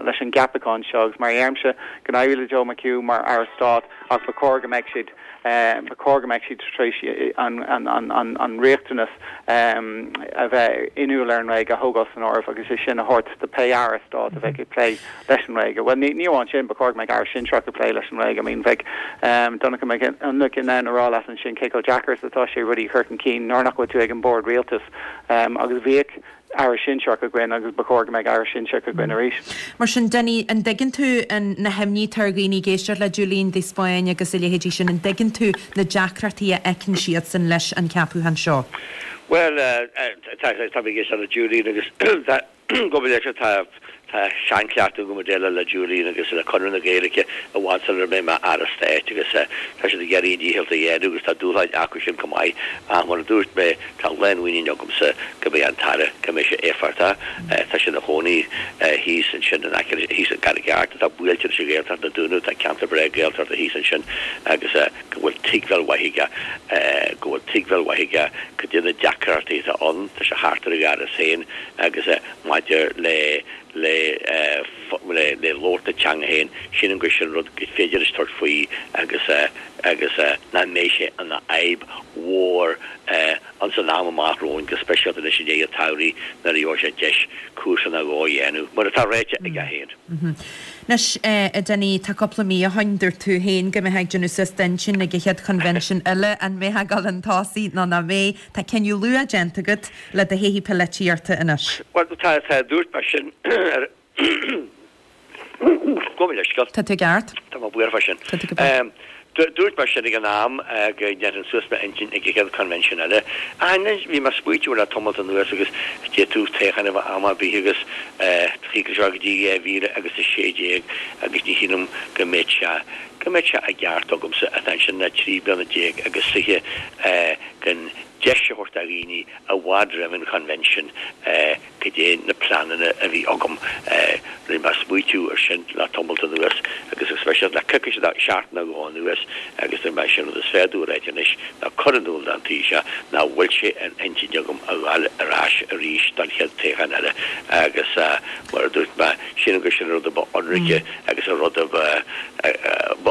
leis an gceapachán seo agus mar a deirimse go n-éirí le Joe McHugh mar Aire Stáit ach ba chóir go mbeadh siad ba chóir go mbeadh siad tar éis an riachtanas a bheith inniúil ar an nGaeilge a thógáil san áireamh agus é sin a thabhairt do pé Aire Stáit a bheidh ag plé leis an nGaeilge. Bhuel, ní amháin sin, ba chóir. chóir go mbeadh Aire Sinsearach ag plé leis an nGaeilge. I mean, bheadh Donncha Mac Fhionnlaoich in ann a rá leat ansin cé chomh deacair is atá sé rudaí a chur chun cinn nuair nach bhfuil tú ag an bord rialtais. Agus bhíodh Aire Sinsearach againn agus ba chóir go mbeadh Aire Sinsearach againn arís.
Mar sin, Dinny, an dtuigeann tú na himní atá ar dhaoine ag éisteacht le Julian de Spáinn agus a leithéidí sin, an dtuigeann tú na deacrachtaí a fheiceann siadsan leis an ceapúchán seo?
Bhuel, tá mé ag éisteacht le Julian agus tá, gabh mo leithscéal, tá, tá seanchleachtadh agam ag déileáil le Julian agus le Conradh na Gaeilge i bhfad sula raibh mé i m'Aire Stáit agus tá siad ag iarraidh a ndícheall a dhéanamh agus tá dúshláin acu sin chomh maith ach mar a dúirt mé, Tá lánmhuinín agamsa go mbeidh an tAire, go mbeidh sé éifeachtach. Tá sé ina chónaí thíos ansin in aice, thíos i gCarraig Airt, atá buailte leis an Ghaeltacht, na Dúnaibh, tá ceantar breá Gaeltachta thíos ansin agus go bhfuil tuigbheáil mhaith aige, go bhfuil tuigbheáil mhaith aige cad é na deacrachtaí atá ann. Tá sé thart ar a dh'fhearas féin agus maidir le, le, le, le labhairt na teanga féin, sílim gur sin rud gur féidir leis tabhairt faoi agus, agus nach mbeidh sé ina fhadhb mhór ins an am amach romhainn, go speisialta anois i ndiaidh an tsamhraidh nuair a gheobhaidh sé deis cúrsa nó dhó a dhéanamh, mar atá ráite aige féin.
Anois, a Dinny, tá cúpla mí ó shoin, dúirt tú féin go mbeifeá ag déanamh suas d'intinn ag an chéad choinbhinsean eile, an mbeifeá ag dul chun tosaigh nó nach mbeidh. Tá cinneadh luath déanta agat le do thaithí polaitíochta anois.
Bhuel, tá, tá, dúirt mé sin ar. Gabh mo leithscéal.
Tá tú i gceart.
Tá mé buartha fá sin.
Tá tú go breá.
Dúirt mé sin ag an am go ndéanfainn suas m'intinn ag an chéad convention eile. Ach anois, bhí mé ag smaoitiú le tamalt anuas agus d'fhéadfadh toghchán a bheith am ar bith agus thiocfadh sé go dtí 2016 agus ní shílim go mbeadh sé, go mbeadh sé i gceart agamsa atá ansin le 13 bliana agus fiche gan deis a thabhairt do dhaoine i bhfad roimh an chonvention cad é na pleananna a bhí agam. Rinne mé smaoitiú ar sin le tamalt anuas agus go speisialta le coicís nó seachtain nó dhó anuas agus dúirt mé sé an rud is fearr domh a ráit anois ná cur in iúl don Taoiseach nach bhfuil sé in intinn agam a ghabháil ar ais arís don chéad toghchán eile agus mar a dúirt mé, sílim gur sin an rud a ba ionraice agus an rud a ba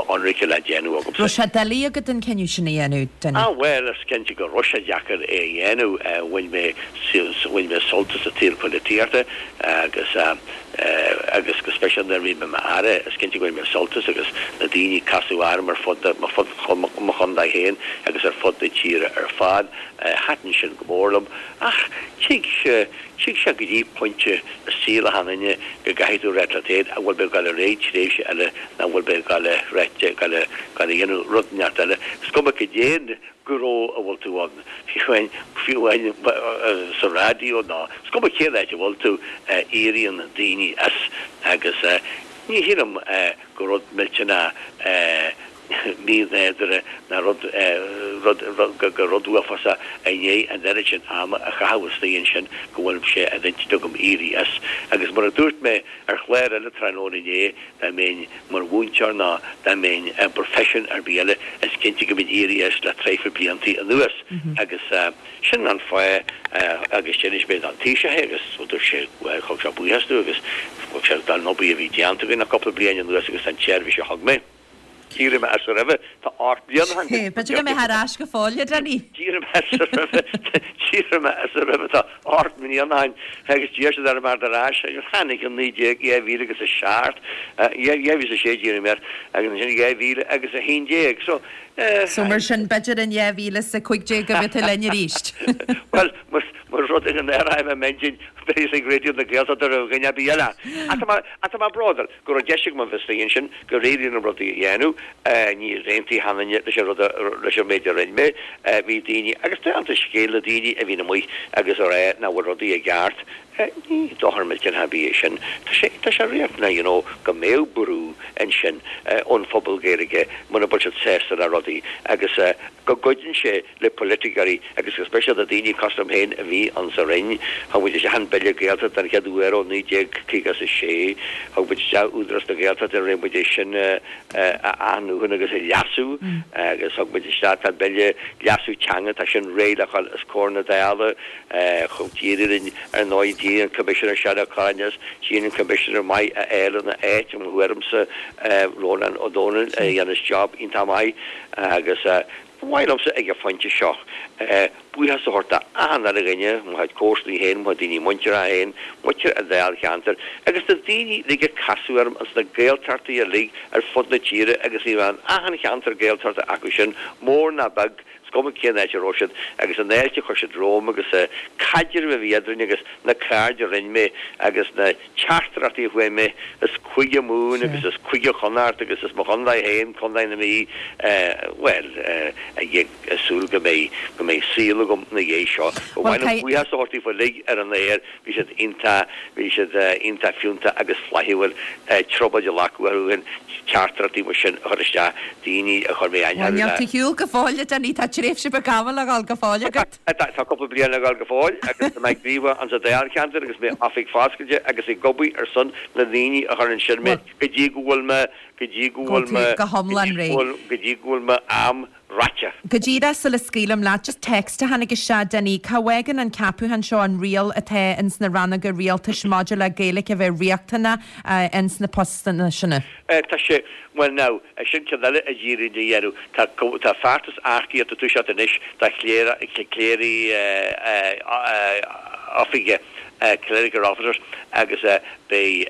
ionraice le déanamh agamsa.
Raibh sé doiligh agat an cinneadh sin a dhéanamh, Dinny?
Ah bhuel, is cinnte go raibh sé deacair é a dhéanamh. Bhain mé Bhain mé sult as an tsaol polaitíochta agus agus go speisialta nuair a bhí mé i m'Aire, is cinnte go bhain mé sult as agus na daoine ag casadh orm ar fud mo chontae féin agus ar fud na tíre ar fad. Thaitin sin go mór liom. Ach tig sé tig sé go dtí pointe i saol achan duine go gcaithfidh tú ráit leat féin an bhfuil mé ag dul ar aghaidh tréimhse eile nó an bhfuil mé ag dul a ráit ag dul a dhéanamh rud inteacht eile. Is cuma cad é gnó a bhfuil tú ann, fiú amháin, fiú amháin sa raidió nó is cuma cén áit a bhfuil tú, éiríonn daoine as agus ní shílim gur rud millteanach mínádúrtha ná rud, rud, gur rud uafásach i ndiaidh an oiread sin ama a chaitheamh istigh ansin go bhfuil sé ar intinn agam éirí as. Agus mar a dúirt mé ar chlár eile tráthnóna inné, dá mbeinn mar mhúinteoir ná dá mbeinn i bproifisiún ar bith eile, is cinnte go mbeinn éirithe as le traidhfil bliantaí anuas. Agus sin an fáth agus d'inis mé don Taoiseach é agus dúirt sé, bhuel, thug sé buíochas domh agus thug sé don obair a bhí déanta againn le cúpla bliain anuas agus don tseirbhís a thug mé. D'éirigh mé as roimhe, tá 8 mbliana ó shin.
B'fhéidir go mbeidh ar ais go fóill, a Dinny.
D'éirigh mé as roimhe, d'éirigh mé as roimhe, tá 8 mbliana ó shin agus d'iarr siad orm theacht ar ais agus tháinig in 19, 2007, 2006 d'éirigh mé as agus ansin 2011.
So, So mar sin, b'fhéidir in 2015 go mbeidh tú linn arís.
Bhuel, más rud é go n-athraím m'intinn, beidh ag Raidió na Gaeltachta roimh dhuine ar bith eile. Ach tá mé bródúil. go raibh deis agam a bheith istigh ansin, gur éirigh liom rudaí a dhéanamh, níor aontaigh achan duine leis an rud a, leis an méid a rinne mé, bhí daoine, agus déanta an scéil, na daoine a bhíonn amuigh agus a rá nach bhfuil rudaí i gceart, ní dochar millteanach ar bith é sin, tá sé, tá sé riachtanach you know go mbeadh brú ansin ón phobal Gaeilge muna bhfuil siad sásta le rudaí agus go gcuidíonn sé le poiliticeoirí agus go speisialta daoine cosúil liom féin a bhí ann sa Roinn. Thug muid isteach an Bille Gaeltachta den chéad uair ó 1956. Thug muid isteach Údarás na Gaeltachta, rinne muid é sin a athnuachan agus a leasú agus thug muid isteach, tá Bille Leasú Teanga, tá sin réidh le dhul os comhair na Dála. Chomh d'éirigh linn ar ndóigh, d'éirigh an Coimisinéir Seán Ó Cuirreáin as, d'éirigh an Coimisinéir maith a fháil ina áit, i mo thuairimse, Rónán Ó Domhnaill, a dhéanas job iontach maith agus. Ba mhaith liomsa ag an phointe seo buíochas a thabhairt do achan uile dhuine, mo chuid comharsanaí féin, mo chuid daoine muinteartha féin, muintir an dáilcheantair agus na daoine uilig a casadh orm ins na Gaeltachtaí uilig ar fud na tíre agus bhí mé in achan cheantar Gaeltachta acu sin, mór ná beag, is cuma cén áit a raibh siad agus an fháilte a chuir siad romham agus an caidreamh a bhí eadrainn agus na cairde a rinne mé agus na teachtaireachtaí a fuair mé as Cúige Mumhan agus as Cúige Chonnacht agus as mo chontae féin, Contae na Mí, bhuel, ag súil go mbeidh, go mbeidh saol agam ina dhiaidh seo. Ba mhaith liom buíochas a thabhairt daofa uilig ar an aer, bhí siad iontach, bhí siad iontach fiúntach agus flaithiúil, trioblóid a ghlacadh orthu féin teachtaireachtaí mar sin a chur isteach, daoine a chuir mé aithne
orthu le. Níl tú ar shiúl go fóill, a Denis, tá tréimhse beag ama le dhul go fóill agat.
Tá cúpla bliain le dhul go fóill agus tá mé gníomhach ansa dáilcheantar agus m'oifig foscailte agus ag obair ar son na ndaoine a chuir ansin mé go dtí go bhfuil mé, go dtí go bhfuil mé,
go hiomlán réidh.
go dtí go bhfuil m'am ráite.
Go díreach sula scaoilim leat, just text a tháinig isteach, Denis, cá bhfágann an ceapúchán seo an riail atá ins na rannóga rialtais maidir le Gaeilge a bheith riachtanach ins na postanna sin?
Tá sé, bhuel now, sin ceann eile a d'iarrainn a dhéanamh. Tá, tá feachtas earcaíochta ag toiseacht anois do chléirigh oifige, clerical officers, agus beidh,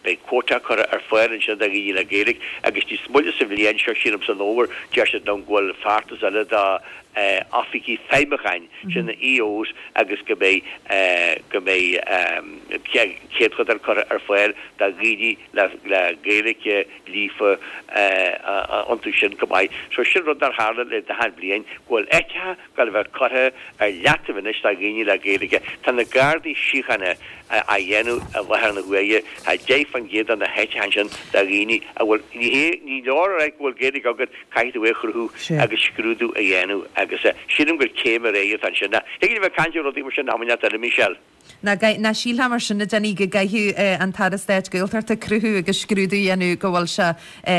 beidh quota curtha ar fáil ansin do dhaoine le Gaeilge agus níos moille sa bhliain seo, sílim san fhómhar, deir siad liom go bhfuil feachtas eile do oifigigh feidhmiúcháin, sin na EOs, agus go mbeidh, go mbeidh céadchodán curtha ar fáil do dhaoine le Gaeilge líofa iontu sin go maith. So sin rud nár tharla le 40 bliain, go bhfuil áiteacha ag gabháil a bheith curtha ar leataobh anois do dhaoine le Gaeilge. Tá na Gardaí Síochána á dhéanamh i láthair na huaire, tá 10% de na háiteacha ansin do dhaoine a bhfuil, ní hé, ní leor a rá go bhfuil Gaeilge agat, caithfidh tú é a chruthú agus scrúdú a dhéanamh agus sílim gur céim ar aghaidh atá ansin. Thig linn a bheith ag caint ar rudaí mar sin am inteacht eile, Michelle.
Nach sílfeá mar sin, a Denis, go gcaithfeadh an tAire Stáit Gaeltachta cruthú agus scrúdú a dhéanamh go bhfuil sé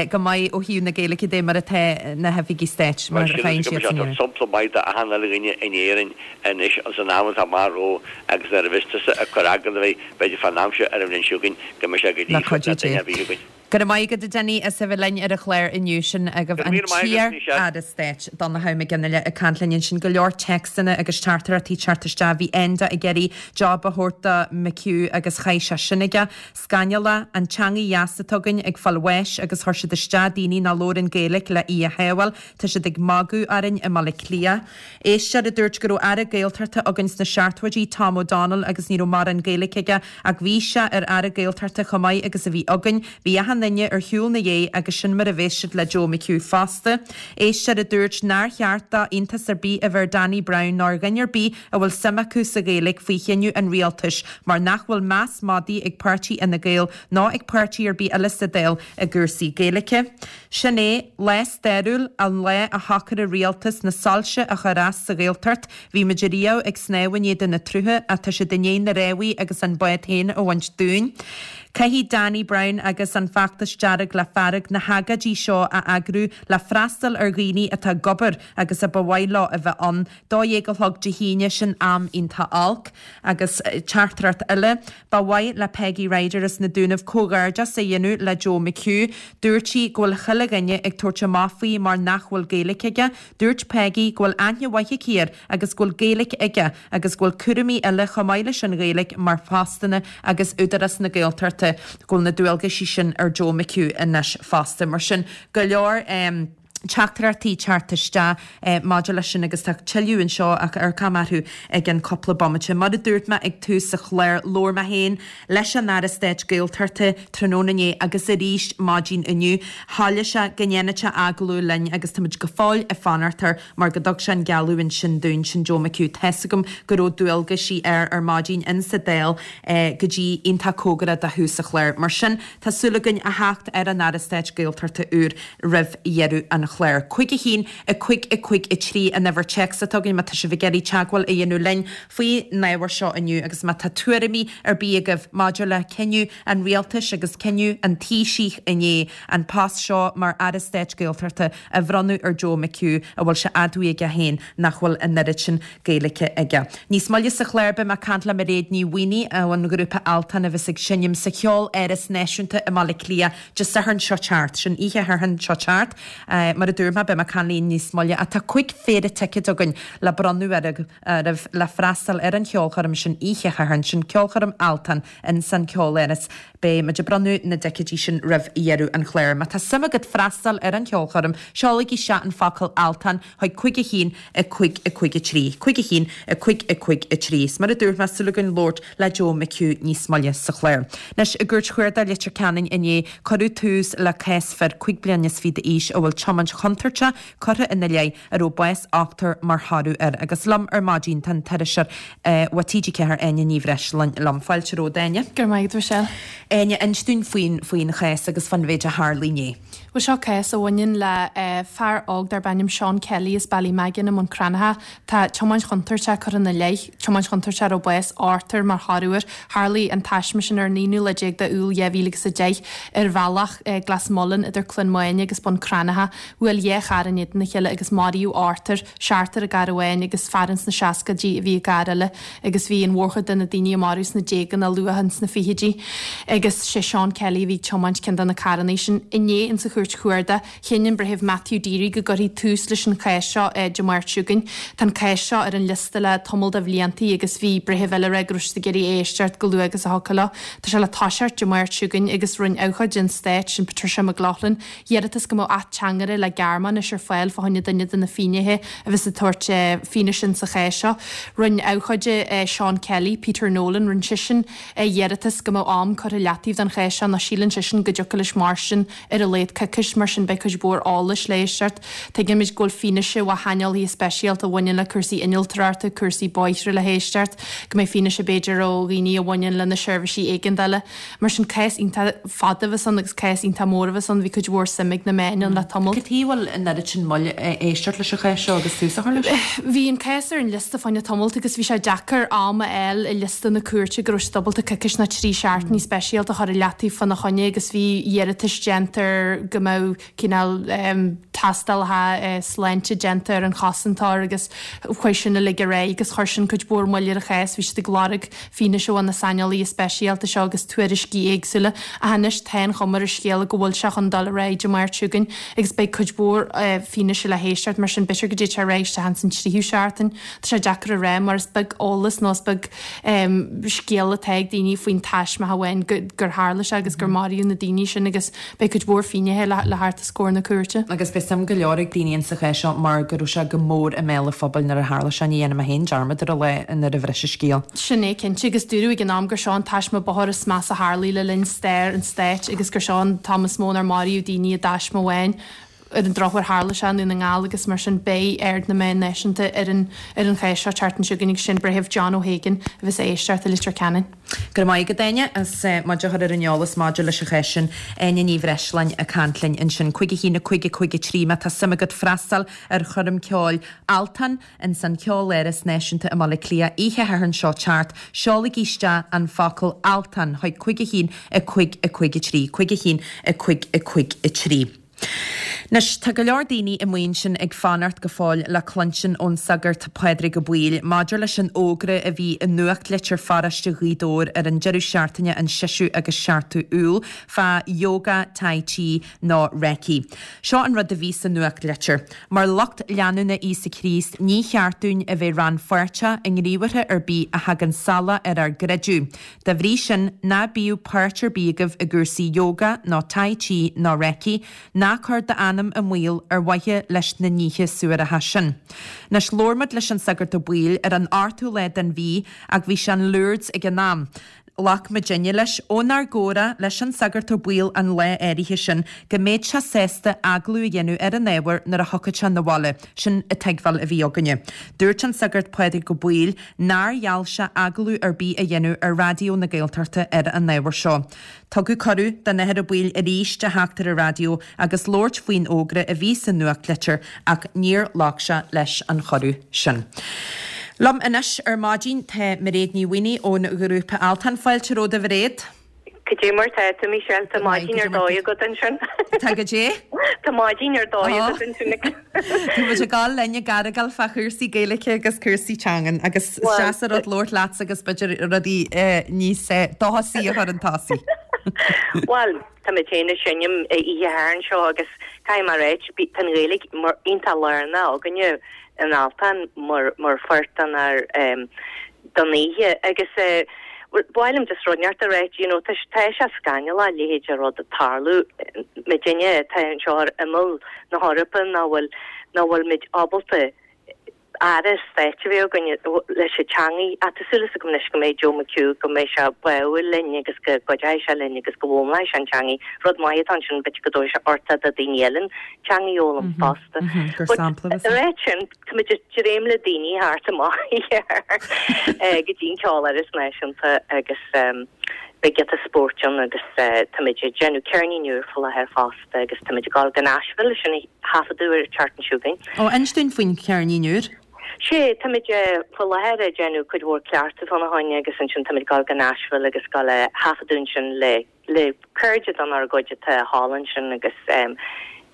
go maith ó thaobh na Gaeilge de mar atá na hoifigigh stáit, mar
a
faigheann
siad san iarraidh. Sampla maith d'achan uile dhuine in Éirinn anois san am atá amach romhainn agus nuair a bheas tusa ag cur agallamh air, b'fhéidir fán am seo ar an bhliain seo chugainn go mbeidh sé go
líofa le duine ar bith againn. Go raibh maith agat a Denis as a bheith linn ar an chlár inniu. Sin agaibh an t-iar-Aire Stáit, Donnchadh Mac Fhionnghaile ag caint linn ansin. Go leor téacsanna agus teachtaireachtaí ag teacht isteach. Bhí Enda ag iarraidh job a thabhairt do McHugh agus chaill sé sin aige. Scannalach, an teangaidh dheas atá againn ag fáil bháis agus chuir siad isteach daoine nach labhrann Gaeilge le í a shábháil. Tá siad ag magadh orainn i mBaile Átha Cliath. Éisteoir a dúirt go raibh Aire Gaeltachta againn sna seachtóidí, Tom O'Donnell, agus ní raibh mórán Gaeilge aige Ach bhí sé ar Aire Gaeltachta chomh maith agus a bhí againn. Bhí achan duine ar shiúl 'na dhéidh agus sin mar a bheas siad le Joe McHugh fosta. Éisteoir a dúirt nár cheart do iontas ar bith a bheith ar Danny Brown ná ar dhuine ar bith a bhfuil suim acu sa Ghaeilge faoi chinneadh an rialtais mar nach bhfuil meas madaidh ag páirtí Fhine Gael ná ag páirtí ar bith eile sa Dáil i gcúrsaí Gaeilge. Sin é, lá stairiúil, an lá a shocraigh rialtas na soilse a chur as sa Ghaeltacht Bhí muid ariamh ag snámh in éadan na tsrutha ach tá siad i ndiaidh na rámhaí agus an bád féin a bhaint dúinn. Caithfidh Danny Brown agus an Feachtas Dearg le Fearg na hagóidí seo a eagrú le freastal ar dhaoine atá ag obair agus a ba mhaith leo a bheith ann. 12 a chlog Dé hAoine, sin am iontach olc. Agus teachtaireacht eile, Ba mhaith le Peggy Ryder as na Dúnaibh comhghairdeas a dhéanamh le Joe McHugh. Dúirt sí go bhfuil chuile dhuine ag tabhairt amach faoi mar nach bhfuil Gaeilge aige. Dúirt Peggy go bhfuil aithne mhaith aici air agus go bhfuil Gaeilge aige agus go bhfuil cúraimí eile chomh maith leis an Ghaeilge mar phostanna agus Údarás na Gaeltachta, go bhfuil na dualgaisí sin ar Joe McHugh anois fosta. Mar sin, go leor teachtaireachtaí teacht isteach maidir leis sin agus tá tuilleadh anseo ach amharcfaidh mé orthu i gceann cúpla bomaite. Mar a dúirt mé ag tús an chláir, labhair mé féin leis an Aire Stáit Gaeltachta tráthnóna inné agus arís maidin inniu. Thoiligh sé go ndéanfadh sé agallamh linn agus táimid go fóill ag fanacht air mar go dtug sé an gealladh sin dúinn, sin Joe McHugh. Tá's agam go raibh dualgaisí air ar maidin insa Dáil go dtí iontach cóngarach do thús an chláir. Mar sin, tá súil againn a theacht ar an Aire Stáit Gaeltachta úr roimh dheireadh an chláir. 5 1 5 5 3 an uimhir téacs atá againn má tá sibh ag iarraidh teagmháil a dhéanamh linn faoin ábhar seo inniu agus má tá tuairimí ar bith agaibh maidir le cinneadh an rialtais agus cinneadh an Taoisigh inné an post seo mar Aire Stáit Gaeltachta a bhronnadh ar Joe McHugh a bhfuil sé admhaithe aige féin nach bhfuil an oiread sin Gaeilge aige. Níos moille sa chlár beidh mé ag caint le Mairéad Ní Mhaonaigh ón ghrúpa Altan a bheas ag seinm sa Cheol Áras Náisiúnta i mBaile Átha Cliath Dé Sathairn seo teacht, sin oíche Shathairn seo teacht. Mar a dúirt mé, beidh mé ag caint léi níos moille ach tá 5 phéire ticéad againn le bronnadh oraibh le freastal ar an cheolchoirm sin oíche Shathairn, sin ceolchoirm Altan ins an Cheoláras. Beidh muid ag bronnadh na dticéidí sin roimh dheireadh an chláir. Má tá suim agat freastal ar an cheolchoirm, seolaigí isteach an focal Altan chuig 5 1 5 5 3, 5 1 5 5 3. Is mar a dúirt mé, súil againn labhairt le Joe McHugh níos moille sa chlár. Anois, i gCúirt Chuarda Leitir Ceanainn inné, cuireadh tús le cás fir 25 bliana d'aois a bhfuil tiomáint chontúirteach curtha ina leith a raibh bás ochtar mar thoradh air. Agus liom ar maidin tá an t-iriseoir ó TG4 Áine Ní Bhreisleáin liom. Fáilte romhat, Áine.
Go raibh maith agat, Michelle.
Áine, inis dúinn faoin faoin chás agus fán mhéid a tharlaigh inné.
Bhuel, seo cás a bhaineann le fear óg darb ainm Seán Kelly as Ballymaggan i mBun Cranncha. Tá tiomáint chontúirteach curtha ina leith, tiomáint chontúirteach a raibh bás ochtar mar thoradh air. Tharlaigh an taisme sin ar an aonú lá déag de Iúil 2010 ar bhealach Glas Mullin idir Cluain Maine agus Bun Cranncha. Bhuail dhá charr in éadan a chéile agus maraíodh ochtar, seachtar i gcarr amháin agus fear ins na seascaidí a bhí i gcarr eile agus bhí an mhórchuid de na daoine a maraíodh sna déaga nó luath ins na fichidí. Agus sé Seán Kelly a bhí ag tiomáint ceann de na carrannaí sin. Inné insa Chúirt Chuarda, chinn an Breitheamh Matthew Deery go gcuirfí tús leis an chás seo Dé Máirt seo chugainn. Tá an cás seo ar an liosta le tamall de bhliantaí agus bhí breitheamh eile ag rá go raibh siad ag iarraidh é a éisteacht chomh luath agus a thiocfadh leo. Tá sé le toiseacht Dé Máirt seo chugainn agus rinne abhcóide an stáit, sin Patricia McLaughlin, iarratas go mbeadh ateangaire le Gearmáinis ar fáil fá choinne duine de na finnéithe a bheas ag tabhairt fianaise insa chás seo. Rinne abhcóide Seán Kelly, Peter Nolan, rinne seisean iarratas go mbeadh am curtha i leataobh don chás seo nó síleann seisean go dtiocfadh leis mairstin ar a laghad coicís, mar sin beidh cuid mhór eolais le héisteacht. Tuigimid go bhfuil fianaise ó shaineolaithe speisialta a bhaineann le cúrsaí innealtóireachta, cúrsaí bóithre le héisteacht, go mbeidh fianaise b'fhéidir ó dhaoine a bhaineann le na seirbhísí éigeandála. Mar sin, cás iontach fada a bheas ann agus cás iontach mór a bheas ann. Bhí cuid mhór suim ag na meáin ann le tamall.
Cad chuige a bhfuil an oiread sin moill ag éisteacht leis an chás seo agus tús a chur leis?
Bhí an cás ar an liosta fá choinne tamalt agus bhí sé deacair am a fháil i liosta na cúirte go raibh siad ábalta coicís nó trí seachtainí speisialta a chur i leataobh fána choinne agus bhí iarratais déanta ar go mbeadh cineál tástálacha sláinte déanta ar an chosantóir agus chuaigh sin uilig ar aghaidh agus chuir sin cuid mhór moill ar an chás. Bhí siad ag lorg fianaise ó na saineolaithe speisialta seo agus tuairiscí éagsúla ach anois tá an chuma ar an scéal go bhfuil sé chun dul ar aghaidh Dé Máirt seo chugainn agus beidh cuid mhór fianaise le héisteacht mar sin b'fhéidir go dtéann sé ar aghaidh isteach ins an tríú seachtain. Tá sé deacair a rá mar is beag eolas nó is beag scéal atá ag daoine faoin taisme amháin gur tharla sé agus gur maraíodh na daoine sin agus Beidh cuid mhór finnéithe le theacht os comhair na cúirte.
Agus beidh suim go leor ag daoine insa chás seo mar go raibh sé go mór i mbéal an phobail nuair a tharla sé. Ní dhéanfaidh mé féin dearmad ar an lá nuair a bhris an scéal.
Sin é cinnte agus dúradh ag an am gur seo an taisme bóthair is measa a tharlaigh le linn stair an stáit agus gur seo an t-am is mó inar maraíodh daoine i dtaisme amháin. Ar an drochuair tharla sé i nDún na nGall agus mar sin beidh aird na meán náisiúnta ar an ar an chás seo an tseachtain seo chugainn agus sin Breitheamh John O'Hagan a bheas ag éisteacht i Leitir Ceanainn.
Go raibh maith agat, Áine, as muid a chur ar an eolas maidir leis an chás sin. Áine Ní Bhreisleáin ag caint linn ansin. 5 1 5 5 3 Má tá suim agat freastal ar choirm ceoil Altan ins an Cheoláras Náisiúnta i mBaile Átha Cliath oíche Shathairn seo teacht, seolaigí isteach an focal Altan chuig 5 1 5 5 3. 5 1 5 5 3. Anois, tá go leor daoine amuigh ansin ag fanacht go fóill le cluinstin ón Sagart Pádraig Ó Baoill maidir leis an fhógra a bhí i nuachtlitir pharóiste Ghaoth Dobhair ar an deireadh seachtaine an seisiú agus seachtú Iúil fá Yoga, Tai Chi nó Reiki. Seo an rud a bhí sa nuachtlitir, Mar lucht leanúna Íosa Críost ní cheart dúinn a bheith rannpháirteach i ngníomhartha ar bith a thagann salach ar ár gcreideamh. Dá bhrí sin, ná bíodh páirt ar bith agaibh i gcúrsaí yoga nó tai chi nó reiki, ná cuir d'anam i mbaol ar mhaithe leis na nithe suaraitheacha sin. Anois, labhair muid leis an Sagart Ó Baoill ar an ochtú lá den mhí ach bhí sé in Lourdes ag an am. Ghlac muidinne leis, ónár gcomhrá leis an Sagart Ó Baoill an lá áirithe sin, go mbeadh sé sásta agallamh a dhéanamh ar an ábhar nuair a thiocfadh sé 'na bhaile. Sin an tuigbheáil a bhí againne. Dúirt an Sagart Pádraig Ó Baoill nár gheall sé agallamh ar bith a dhéanamh ar Raidió na Gaeltachta ar an ábhar seo. Tugadh cuireadh don Athair Ó Baoill arís a theacht ar an raidió agus labhairt faoin fhógra a bhí sa nuachtlitir ach níor ghlac sé leis an chuireadh sin. Liom anois ar maidin tá Mairéad Ní Mhaonaigh ón ghrúpa Altan. Fáilte romhat a Mhairéad.
Cad é mar tá tú, Michelle? Tá maidin ar dóigh agat ansin.
Tá cad é?
Tá maidin ar dóigh agat ansin.
Tá muid ag dul linn ag argáil fá chúrsaí Gaeilge agus cúrsaí teangan agus is deas an rud labhairt leatsa agus b'fhéidir rudaí níos dóchasaí a chur chun tosaigh.
Bhuel, tá muid féin ag seinm oíche Shathairn seo agus caithfidh mé a ráit, tá an Ghaeilge mar iontach lárnach againne in Altan mar mar pháirt den ár don oíche agus ba mhaith liom just rud inteacht a ráit, you know, tá tá sé scannalach a leithéid de rud ag tarlú, muidinne atá anseo ar imeall na hEorpa nach bhfuil nach bhfuil muid ábalta Aire Stáit a bheith againn leis an teangaidh. Ach tá súil agam anois go mbeidh Joe McHugh, go mbeidh sé báúil linn agus go gcuideoidh sé linn agus go bhfoghlaimeoidh sé an teangaidh. Rud maith atá ansin, b'fhéidir go dtabharfaidh sé uchtach do daoine eile an teangaidh a fhoghlaim fosta.
Gur sampla
But a ráit sin, táimid ag dréim le daoine thart amach go dtí an Ceoláras Náisiúnta agus beidh giota spóirt ann agus táimid ag déanamh ceirnín úr faoi láthair fosta agus táimid ag dul go Nashville leis sin a thaifeadadh ar an tseachtain seo chugainn.
Ó, inis dúinn faoin cheirnín úr.
Sea, táimid faoi láthair ag déanamh cuid mhór cleachtadh fána choinne agus ansin táimid ag dul go Nashville agus ag dul a thaifeadadh ansin le le cairde dár gcuid atá thall ansin agus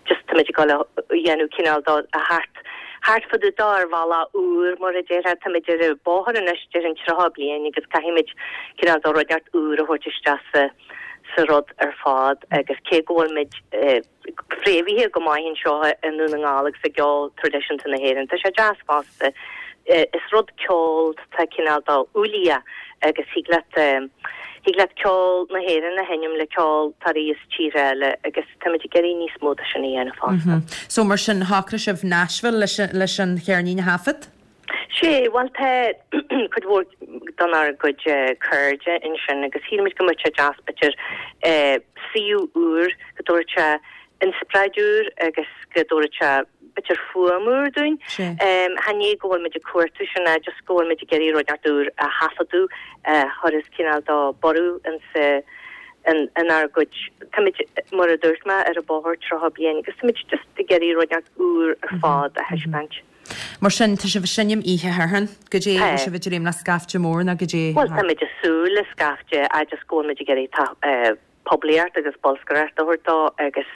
just táimid ag dul a dhéanamh cineál dó a theacht thart fá dtaobh dó ar bhealach úr mar a déarfá. Táimid ar an bóthar anois déarfainn 30 bliain agus caithfimid cineál dó rud inteacht úr a thabhairt isteach sa sa rud ar fad agus cé go bhfuil muid fréamhaithe go maith anseo i nDún na nGall agus i gceol traidisiúnta na hÉireann. Tá sé deas fosta. Is rud ceol atá cineál dó uilíoch agus thig leat thig leat ceol na hÉireann a sheinm le ceol atá as tíortha eile agus táimid ag iarraidh níos mó de sin a dhéanamh fosta.
So mar sin shocraigh sibh Nashville leis leis an cheirnín a thaifead?
Sea, bhuel tá cuid mhór denár gcuid cairde ansin agus shíl muid go mbeadh sé deas b'fhéidir suíomh úr, go dtabharfadh sé inspioráid úr agus go dtabharfadh sé b'fhéidir fuaim úr dúinn. Chan é go bhfuil muid ag cuartú sin ach just go bhfuil muid ag iarraidh rud inteacht úr a thaifeadadh a chuirfeas cineál de borradh insa inár gcuid, táimid, mar a dúirt mé, ar an bóthar 30 bliain agus táimid just ag iarraidh rud inteacht úr ar fad a thaispeáint.
Mar sin, tá sibh ag seinm oíche Shathairn. Goidé, Tá. bhfuil sibh ag dréim le scaifte mór nó goidé?
Bhuel, táimid ag súil le scaifte agus go bhfuil muid ag iarraidh poiblíocht agus bolscaireacht a thabhairt dó agus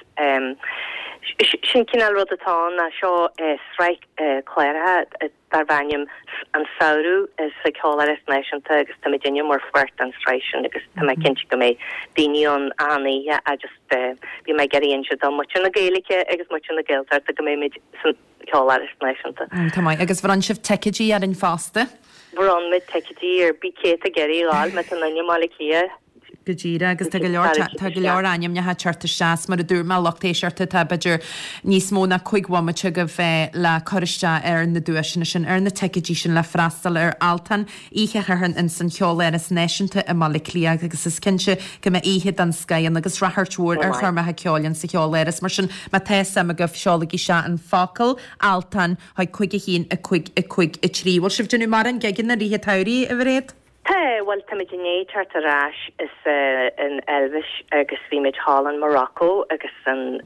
sin cineál rud atá ann ná seo sraith cláracha darb ainm An Samhradh sa Cheoláras Náisiúnta agus táimid inniu mar pháirt den sraith sin agus tá mé cinnte go mbeidh daoine ann achan oíche agus bhí mé ag iarraidh inse do muintir na Gaeilge agus muintir na Gaeltachta go mbeidh muid san Ceoláras Náisiúnta.
Tá maith. Agus bhronn sibh ticéidí orainn fosta.
Bhronn muid ticéidí ar bith cé atá ag iarraidh a ghabháil, má tá duine i mBaile Átha Cliath.
Go díreach, agus tá go leor, tá go leor ainmneacha ag teacht isteach, mar a dúirt mé, lucht éisteachta, tá b'fhéidir níos mó ná 5 bhomaite agaibh le cur isteach ar na duaiseanna sin, ar na ticéidí sin le freastal ar Altan oíche Shathairn ins an Cheoláras Náisiúnta i mBaile Átha Cliath agus is cinnte go mbeidh oíche den scoith ann agus ráchairt mhór ar choirmeacha ceoil ins sa Cheoláras. Mar sin, má tá suim agaibh, seolaigí isteach an focal Altan chuig 5 1 5 5 3. Bhfuil sibh ag déanamh mórán gigeanna i rith an tsamhraidh, a Mhairéad?
Tá, bhuel, táimid i ndiaidh teacht ar ais as an Eilvéis agus bhí muid thall in Morocco agus in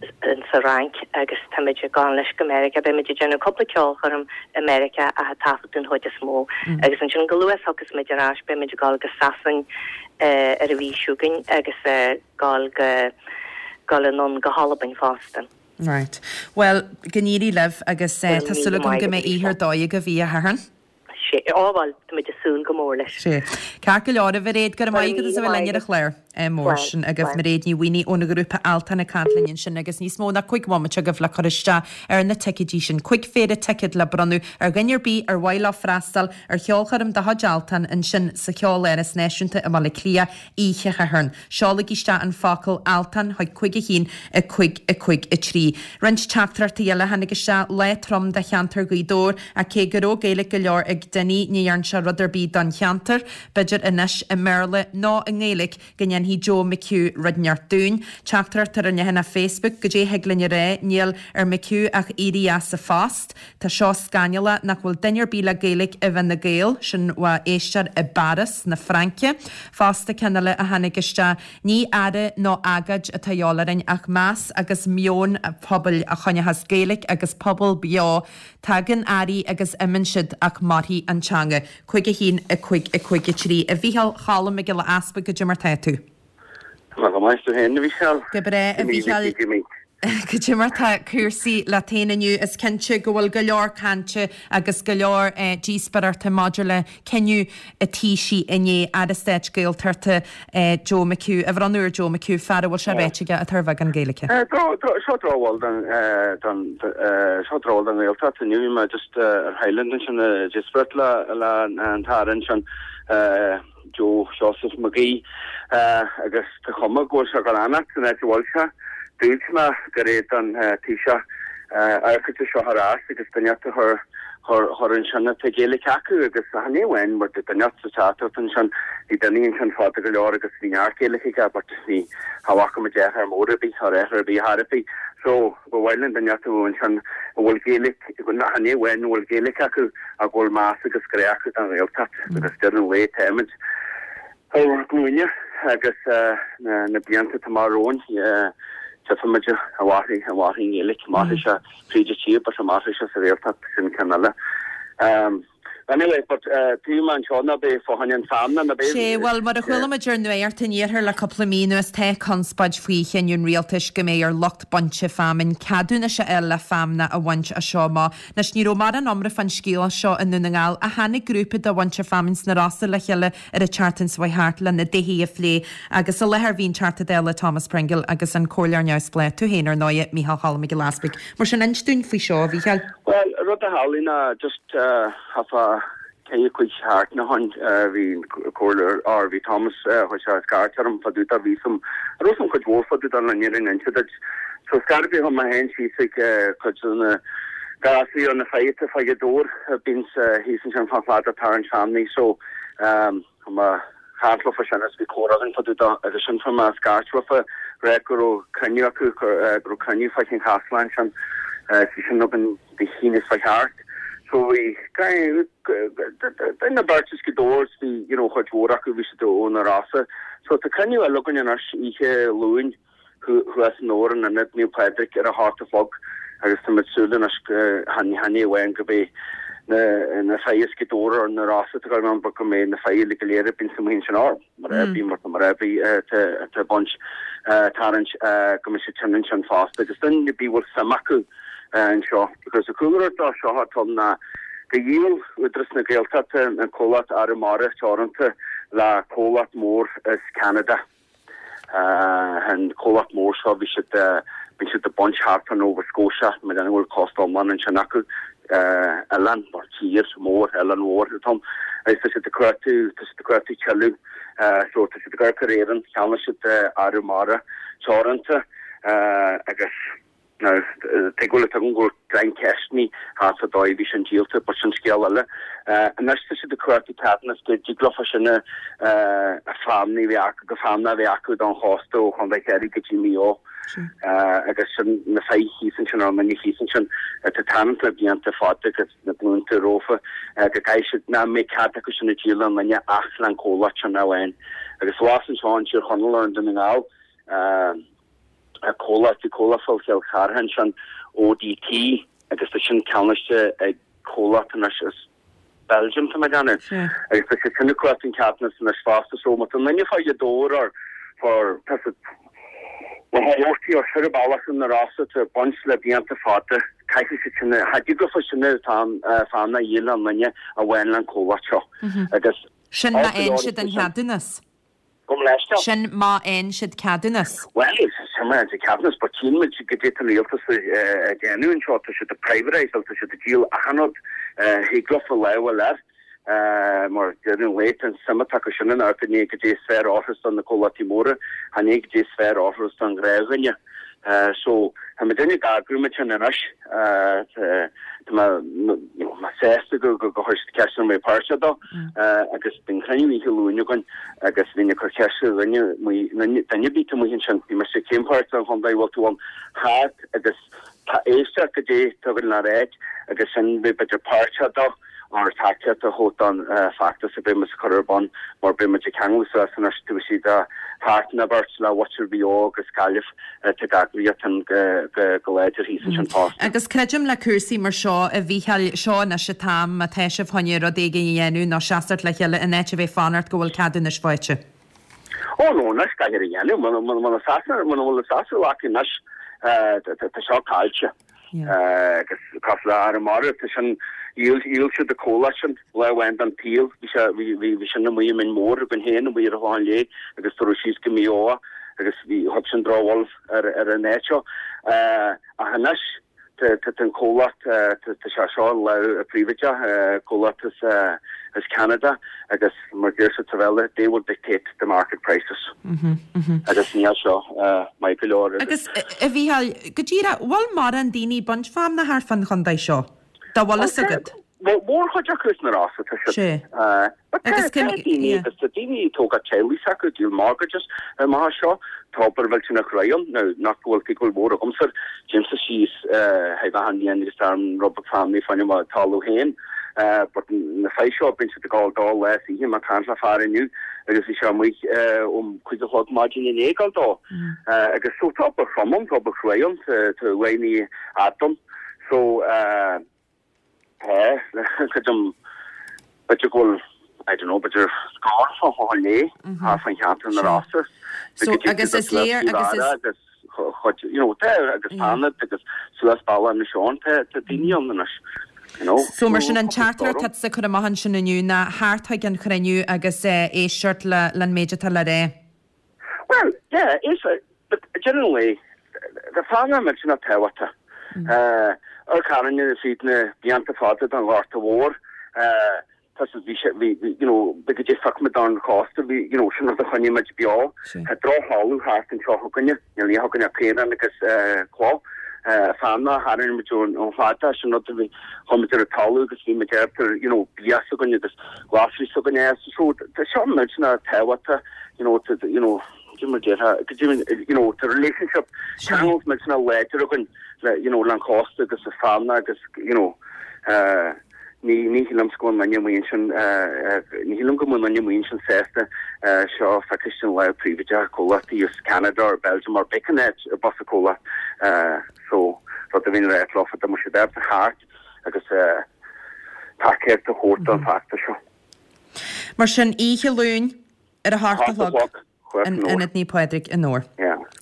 sa Fhrainc agus táimid ag gabháil anois go Meiriceá. Beidh muid ag déanamh cúpla ceolchoirm i Meiriceá ach ag taifead den chuid is mó agus ansin chomh luath is a thiocfas muid ar ais beidh muid ag gabháil go Sasain ar an mhí seo chugainn agus ag gabháil go gabháil anonn go hAlbain fosta.
Right. Bhuel, go n-éirí libh agus tá súil agam go mbeidh oíche ar dóigh agaibh oíche Shathairn.
Sea, á bhuel, táimid ag súil go mór leis.
Sea. Ceart go leor, a Mhairéad, go raibh maith agat as a bheith linn ar an chlár. Mór sin agaibh. Mairéad Ní Mhaonaigh ón ghrúpa Altan ag caint linn ansin agus níos mó ná 5 bhomaite agaibh le cur isteach ar na ticéidí sin. 5 phéire ticéad le bronnadh ar dhuine ar bith ar mhaith leo freastal ar cheolchoirm de chuid Altan ansin sa Cheoláras Náisiúnta i mBaile Átha Cliath oíche Shathairn. Seolaigí isteach an focal Altan chuig 5 1 5 5 3. Roinnt teachtaireachtaí eile a tháinig isteach, lá trom do cheantar Ghaoth Dobhair ach cé go raibh Gaeilge go leor ag Dinny ní dhearn sé rud ar bith don cheantar. B'fhéidir anois i mBéarla nó i nGaeilge go ndéanfaidh Joe McHugh rud inteacht dúinn. Teachtaireacht ar an leathanach Facebook, Goidé thig linn a rá, níl ar McHugh ach éirí as a phost. Tá seo scannalach nach bhfuil duine ar bith le Gaeilge i bhFine Gael, sin ó éisteoir i bPáras na Fraince. Fosta ceann eile a tháinig isteach, ní aire nó agóid atá a dhíobháil orainn ach meas agus meon pobail a choinneochas Gaeilge agus pobal beo. Tagann airí agus imíonn siad ach mairfidh an teanga. 5 1 5 5 3 A Mhícheáil Cholm Mac Giolla Easpaig, goidé mar tá tú?
Tá mé go maith, tú féin, a Mhícheáil?
Go breá, a Mhícheáil. Cad é mar tá cúrsaí leat féin inniu? Is cinnte go bhfuil go leor cainte agus go leor díospóireachta maidir le cinneadh an Taoisigh inné Aire Stáit Gaeltachta Joe McHugh a bhronnadh ar Joe McHugh, fear a bhfuil sé ráite aige atá ar bheagán Gaeilge.
Seo drochbhail don seo drochbhail don Ghaeltacht inniu. Bhí mé just ar Highland ansin ag díospóireacht le an tAire ansin. Joe Seosamh McGee agus tá cuma go bhfuil sé ag dul a fhanacht san áit a bhfuil sé. Dúirt mé gur éad don Taoiseach amharc air seo ar ais agus duine a chur chur ansin atá Gaeilge acu agus chan é amháin mar duine sa teachtaireacht ansin bhí duine ansin fada go leor agus bhí neart Gaeilge aige but ní cha bhfaca muid athrú mór ar bith ar athrú ar bith ar bith so Ba mhaith linn duine atá ansin a bhfuil Gaeilge, chan é amháin a bhfuil Gaeilge acu ach go bhfuil meas agus grá acu don Ghaeltacht agus deireadh an lae táimid ar ár nglúine agus na blianta atá amach romhainn tchífimid an mairfidh an mairfidh an Ghaeilge, mairfidh sé fríd an tír but an mairfidh sé sa Ghaeltacht sin ceann eile. Anyway, but taobh mé anseo ná beidh fá choinne an feamna, ná beidh.
Sea, bhuel, mar a chuala muid ar Nuacht an Iarthair le cúpla mí anuas, tá conspóid faoi chinneadh an rialtais go mbeidh ar lucht bainte feamainn ceadúnais a fháil le feamna a bhaint as seo amach. Anois, ní raibh mórán iomramh fán scéal seo i Ndún na nGall ach tháinig grúpa de mhuintir feamainn sna Rosa le chéile ar an tseachtain seo chuaigh thart lena dtaithí a phlé agus i láthair bhí an Teachta Dála Thomas Pringle agus an Comhairleoir Neamhspleách, tú féin ar ndóighe, Mícheál Cholm Mac Giolla Easbuig. Mar sin, inis dúinn faoi seo, a Mhícheáil.
Bhuel, rud a tharlaigh ná just thart fá ceithre cúig seachtaine ó shin bhí an comhairleoir, or bhí Thomas, chuir sé scairt orm fá dtaobh de, bhí some, raibh some cuid mhór fá dtaobh de le fhírinne a inse duit. So scairt bhí mé féin síos ag cuid de na gasraí or na fir atá fá Ghaoth Dobhair a bíonns thíos ansin fán chladach ag tarraingt feamnaí so Tá mé ag caint leofa sin agus bhí comhrá againn fá dtaobh de agus sin fuair mé scairt uafa rá go raibh cruinniú acu, go raibh cruinniú fá Chinn Chaisleáin ansin agus bhí sin againn Dé hAoine seo thart. So bhí duine beirt as Gaoth Dobhair bhí you know chuid mhór acu bhí siad ó na Rosa. So tá cruinniú eile againn anois oíche Luain. thuas i nDobhar in Ionad Naomh Pádraig ar a hocht a chlog agus tá muid ag súil anois go chan chan é amháin go mbeidh na na fir as Gaoth Dobhair or na Rosa atá ag ann but go mbeidh na fir uilig go léir a bíonn amuigh ansin or mar a bhí mar mar a bhí atá atá ag baint tarraingt go mbeidh siad sin ansin fosta agus duine ar bith bhfuil suim acu anseo because an cúlra dó seo atá ann ná go dhíol Údarás na Gaeltachta an comhlacht Arramara Teoranta le comhlacht mór as Ceanada. An comhlacht mór seo, bhí siad, bíonn siad ag baint thart ar Nova Scotia, mar go bhfuil cósta iomlán ansin acu, oileán, or tír mór, oileán mhór atá ann, agus tá siad ag cuartú, tá siad ag cuartú tuilleadh, so tá siad ag amharc ar Éirinn, cheannaigh siad Arramara Teoranta agus. Now, tuig bhfuil a fhios agam go bhfuil greim ceisteanna thart fá dóigh a bhí sin díolta, but sin scéal eile. Anois tá siad ag cuartú ceadúnas go dtig leofa sin a feamnaí a bheith acu, go feamna a bheith acu don chósta ó Chontae Chiarraí go dtí Maigh Eo. Agus sin na fir thíos ansin, ar an duine thíos ansin, atá ag tarraingt le blianta fada agus na glúnta rompu, go gcaithfidh siad, nach mbeidh cead acu sin a dhíol le aon duine ach le an comhlacht sin amháin. Agus abhus anseo in Tír Chonaill or i nDún na nGall, comhlacht, bhí comhlacht fá Chill Chartha ansin, ODT, agus tá sin ceannaiste ag comhlacht anois as Belgium, tá mé ag déanamh. Agus tá siad sin ag cuartú an ceadúnas anois fosta, so má tá duine fá Ghaoth Dobhair or for tá siad na hórtaí or ar bealach na Rosa atá ag baint le blianta fada, caithfidh siad sin, cha dtig leofa sin atá feamna a dhíol le aon duine amháin le an comhlacht seo. Agus
Sin má fhaigheann siad an cheadúnas.
Gabh mo leithscéal.
Sin má fhaigheann siad ceadúnas.
Bhuel, sin má fhaigheann siad ceadúnas, but tchíonn muid goidé tá an rialtas ag déanamh anseo, tá siad ag privatise, tá siad ag díol achan rud a thig leofa lámh a fháil air, mar deireadh an lae, tá an suim atá acu sin in amharc cad é is fearr a fhóirfeas do na comhlachtaí móra, chan é goidé is fearr a fhóirfeas don ghnáthdhuine. So, tá muid ag eagrú muid sin anois. Tá mé sásta go chuir siad ceist orm bheith páirteach dó agus bíonn cruinniú oíche Luain againn agus bhínn ag cur ceist ar dhuine duine ar bith atá amuigh ansin, bhí mise cén páirt den chontae a bhfuil tú ann thart agus tá éisteacht goidé atá againn le ráit agus sin bheith b'fhéidir páirteach dó. ár dtacaíocht a thabhairt don feachtas a bheidh muid ag cur ar bun mar beidh muid ag ceangal suas anois taobh istigh de sheachtain nó beirt le muintir Mhaigh Eo agus Gaillimh atá ag eagraíocht an go láidir thíos ansin fosta.
Agus creidim le cúrsaí mar seo, a Mhícheáil, seo anois an t-am má tá sibh chun rud éigin a dhéanamh nó seasamh le chéile in áit a bheith ag fanacht go bhfuil ceadúnais faighte.
Ó no, anois caithfear a dhéanamh, muna bhfuil sásamh acu anois.
Tá seo caillte. Agus cosúil le Arramara, tá sin, dhíol, dhíol siad an comhlacht sin lá amháin den tsaol. Bhí sé, bhí, bhí, bhí sin amuigh i mBinn Mór againn féin, amuigh ar an Chlochán Léith agus tugadh síos go Maigh Eo agus bhí, thug sin drochbholadh ar, ar an áit seo. Ach anois, Tá an comhlacht, tá sé seo i lámha príobháideach, comhlacht as Ceanada agus mar a deir siad sa Bhéarla, they will dictate the market prices. Agus níl seo maith go leor.
Agus, a Mhícheáil, go díreach, bhfuil mórán daoine baint feamnach thart fán chontae seo, dá bhfuil fhios agat?
Bhuel, mórchuid acu as na Rosa, tá siad.
Sea.
But tá
Agus
tá
cén,
daoine
yeah.
agus tá daoine ag tógáil teaghlaigh s'acu, ag díol mortgages amach as seo. Tá obair mhillteanach réidh ann. Now, nach go bhfuil go bhfuil mór agamsa, téimse síos thaobh achan bhliain agus tá rud beag family fá choinne mo talamh féin. But na fir seo, bíonn siad ag gabháil dó lá is oíche, mé ag caint le fear inniu agus bhí sé amuigh um 5 a chlog maidin inné ag gabháil dó. Agus so tá obair throm ann, tá obair chruaidh ann, tá tá uaigní fhada ann. So, Tá, creidim, b'fhéidir go bhfuil, I don't know, b'fhéidir scór fá Chlochán Léith thart fán cheantar na Rosa.
So, agus is léir, agus is.
Agus chuid, you know, tá, agus Fánaid agus suas bealach Inis Eoghain, tá, tá daoine ann anois, you know.
So, mar sin, an teachtaireacht atá tusa ag cur amach ansin inniu ná theacht chuig an chruinniú agus éisteacht le, len méid atá le rá.
Well, yeah, is, but generally, tá feamnach millteanach tábhachtach. Amharc orainne fríd na blianta fada den Ghorta Mhór, tá siad, bhí sé, bhí, you know, bhí go dtí phioc muid ón chósta, bhí, you know, sin rud a choinnigh muid beo. Tá drochthalamh thart anseo chugainne, níl ní chugainne ach caorán agus cloch. Feamnach a tharraing muid ón chladach, sin rud a bhí, chuir muid ar an talamh agus bhí muid ábalta, you know, bia s'againne agus glasraí s'againne. So, tá seo millteanach tábhachtach. you know, to, you know, cad é mar déarfá, go deimhin, you know, tá relationship, ceangal millteanach láidir againn le, you know, le an chósta agus an feamnach agus, you know, eh, ní, ní shílimse go bhfuil duine amuigh ansin, eh, eh, ní shílim go bhfuil duine amuigh ansin sásta, eh, seo a fheiscint i lámha príobháideach comhlachtaí as Canada or Belgium or b'fhéidir an áit a bus a comhlacht, eh, so, rud a bhíonn ráite leofa, dá mbeadh siad ábalta theacht agus, eh, tacaíocht a thabhairt don fheachtas seo.
Mar sin, oíche Luain ar a hocht a chlog in Ionad Naomh Pádraig i nDobhar.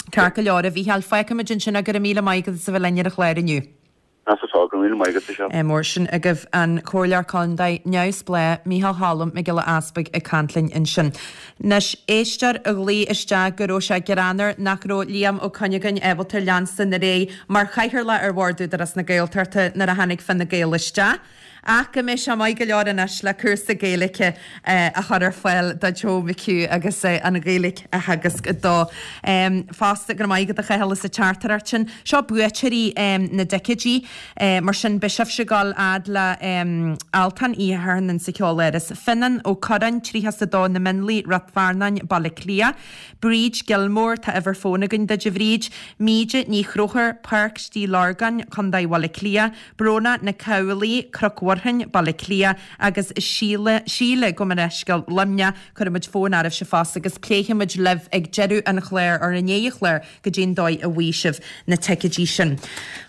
Ceart go leor, a Mhícheáil, fágfaimid ansin é. Go raibh míle maith agat as a bheith linn ar an chlár inniu. Mar sin agaibh an Comhairleoir Contae neamhspleách Mícheál Cholm Mac Giolla Easpaig ag caint linn ansin. Anois, éisteoir a ghlaoigh isteach go raibh sé greannmhar nach raibh Liam Ó Cuinneagáin ábalta leanstan ar aghaidh mar chathaoirleach ar Bhord Údarás na Gaeltachta nuair a tháinig Fine Gael isteach. Ach go mbeidh sé maith go leor anois le cúrsa Gaeilge a chur ar fáil do Joe McHugh agus an Ghaeilge a theagasc dó. Fosta, go raibh maith agat a Chathail as an teachtaireacht sin. Seo buaiteoirí na dticéidí. Mar sin, beidh sibhse ag dul fhad le Altan Oíche Shathairn insa Cheoláras. Fionnán Ó Curráin, 32, Na Mionlaigh, Ráth Fearnáin, Baile Átha Cliath. Bríd Gilmore, tá uimhir fóin againn duit a Bhríd. Míde Ní Chróchúir, Páirc Stigh Lorgáin, Contae Bhaile Átha Cliath. Bróna Nic Amhlaigh, Cnoc Mhuirfean, Baile Átha Cliath, agus Síle, Síle, gabh mo leithscéal, Luimneach, cuirfimid fón oraibhse fosta agus pléifimid libh ag deireadh an chláir, or i ndiaidh an chláir, goidé'n dóigh a bhfaighidh sibh na ticéidí sin.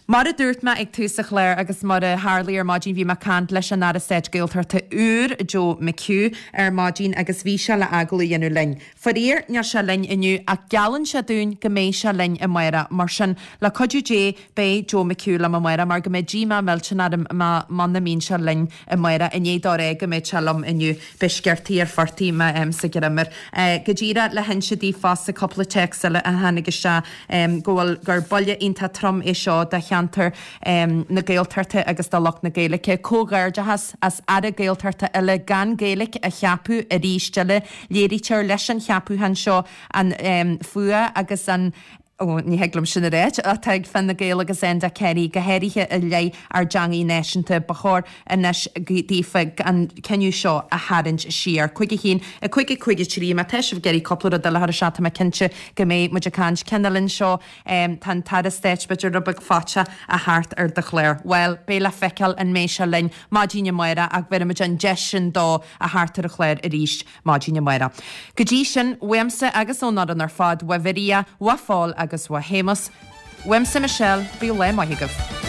Mar a dúirt mé ag tús an chláir agus mar a tharlaigh ar maidin, bhí mé ag caint leis an Aire Stáit Gaeltachta úr, Joe McHugh, ar maidin agus bhí sé le agallamh a dhéanamh linn. Faraor, níl sé linn inniu ach geallann sé dúinn go mbeidh sé linn amárach. Mar sin, le cuidiú Dé, beidh Joe McHugh liom amárach mar go mbeidh díomá millteanach orm muna mbíonn sé linn amárach. I ndiaidh dó rá go mbeadh sé liom inniu, beidh sciortaí ar phortaí má fhaighimse greim air. Go díreach le hinse daoibh fosta cúpla téacs eile a tháinig isteach go bhfuil gur buille iontach trom é seo do cheantar na Gaeltachta agus do lucht na Gaeilge. Comhghairdeachas as Aire Gaeltachta eile gan Gaeilge a cheapadh arís eile. Léirítear leis an cheapúchán seo an fuath agus an, ó, ní thig liom sin a ráit, atá ag Fine Gael agus Enda Kenny, go háirithe i leith ár dteangaidh náisiúnta. Ba chóir anois daofa an cinneadh seo a tharraingt siar. 5 1 5 5 3 Má tá sibh ag iarraidh cúpla rud eile a chur isteach, tá mé cinnte go mbeidh muid ag caint. Ceann eile anseo, tá an tAire Stáit b'fhéidir rud beag faiteach a theacht ar do chlár. Bhuel, beidh le feiceáil an mbeidh sé linn maidin amárach ach bhéarfaimid an deis sin dó a theacht ar an chlár arís maidin amárach. Go dtí sin, uaimse agus ón fhoireann ar fad, uaidh Mharia, uaidh Phól agus uaidh Shéamus, uaimse Michelle, bíodh lá maith agaibh.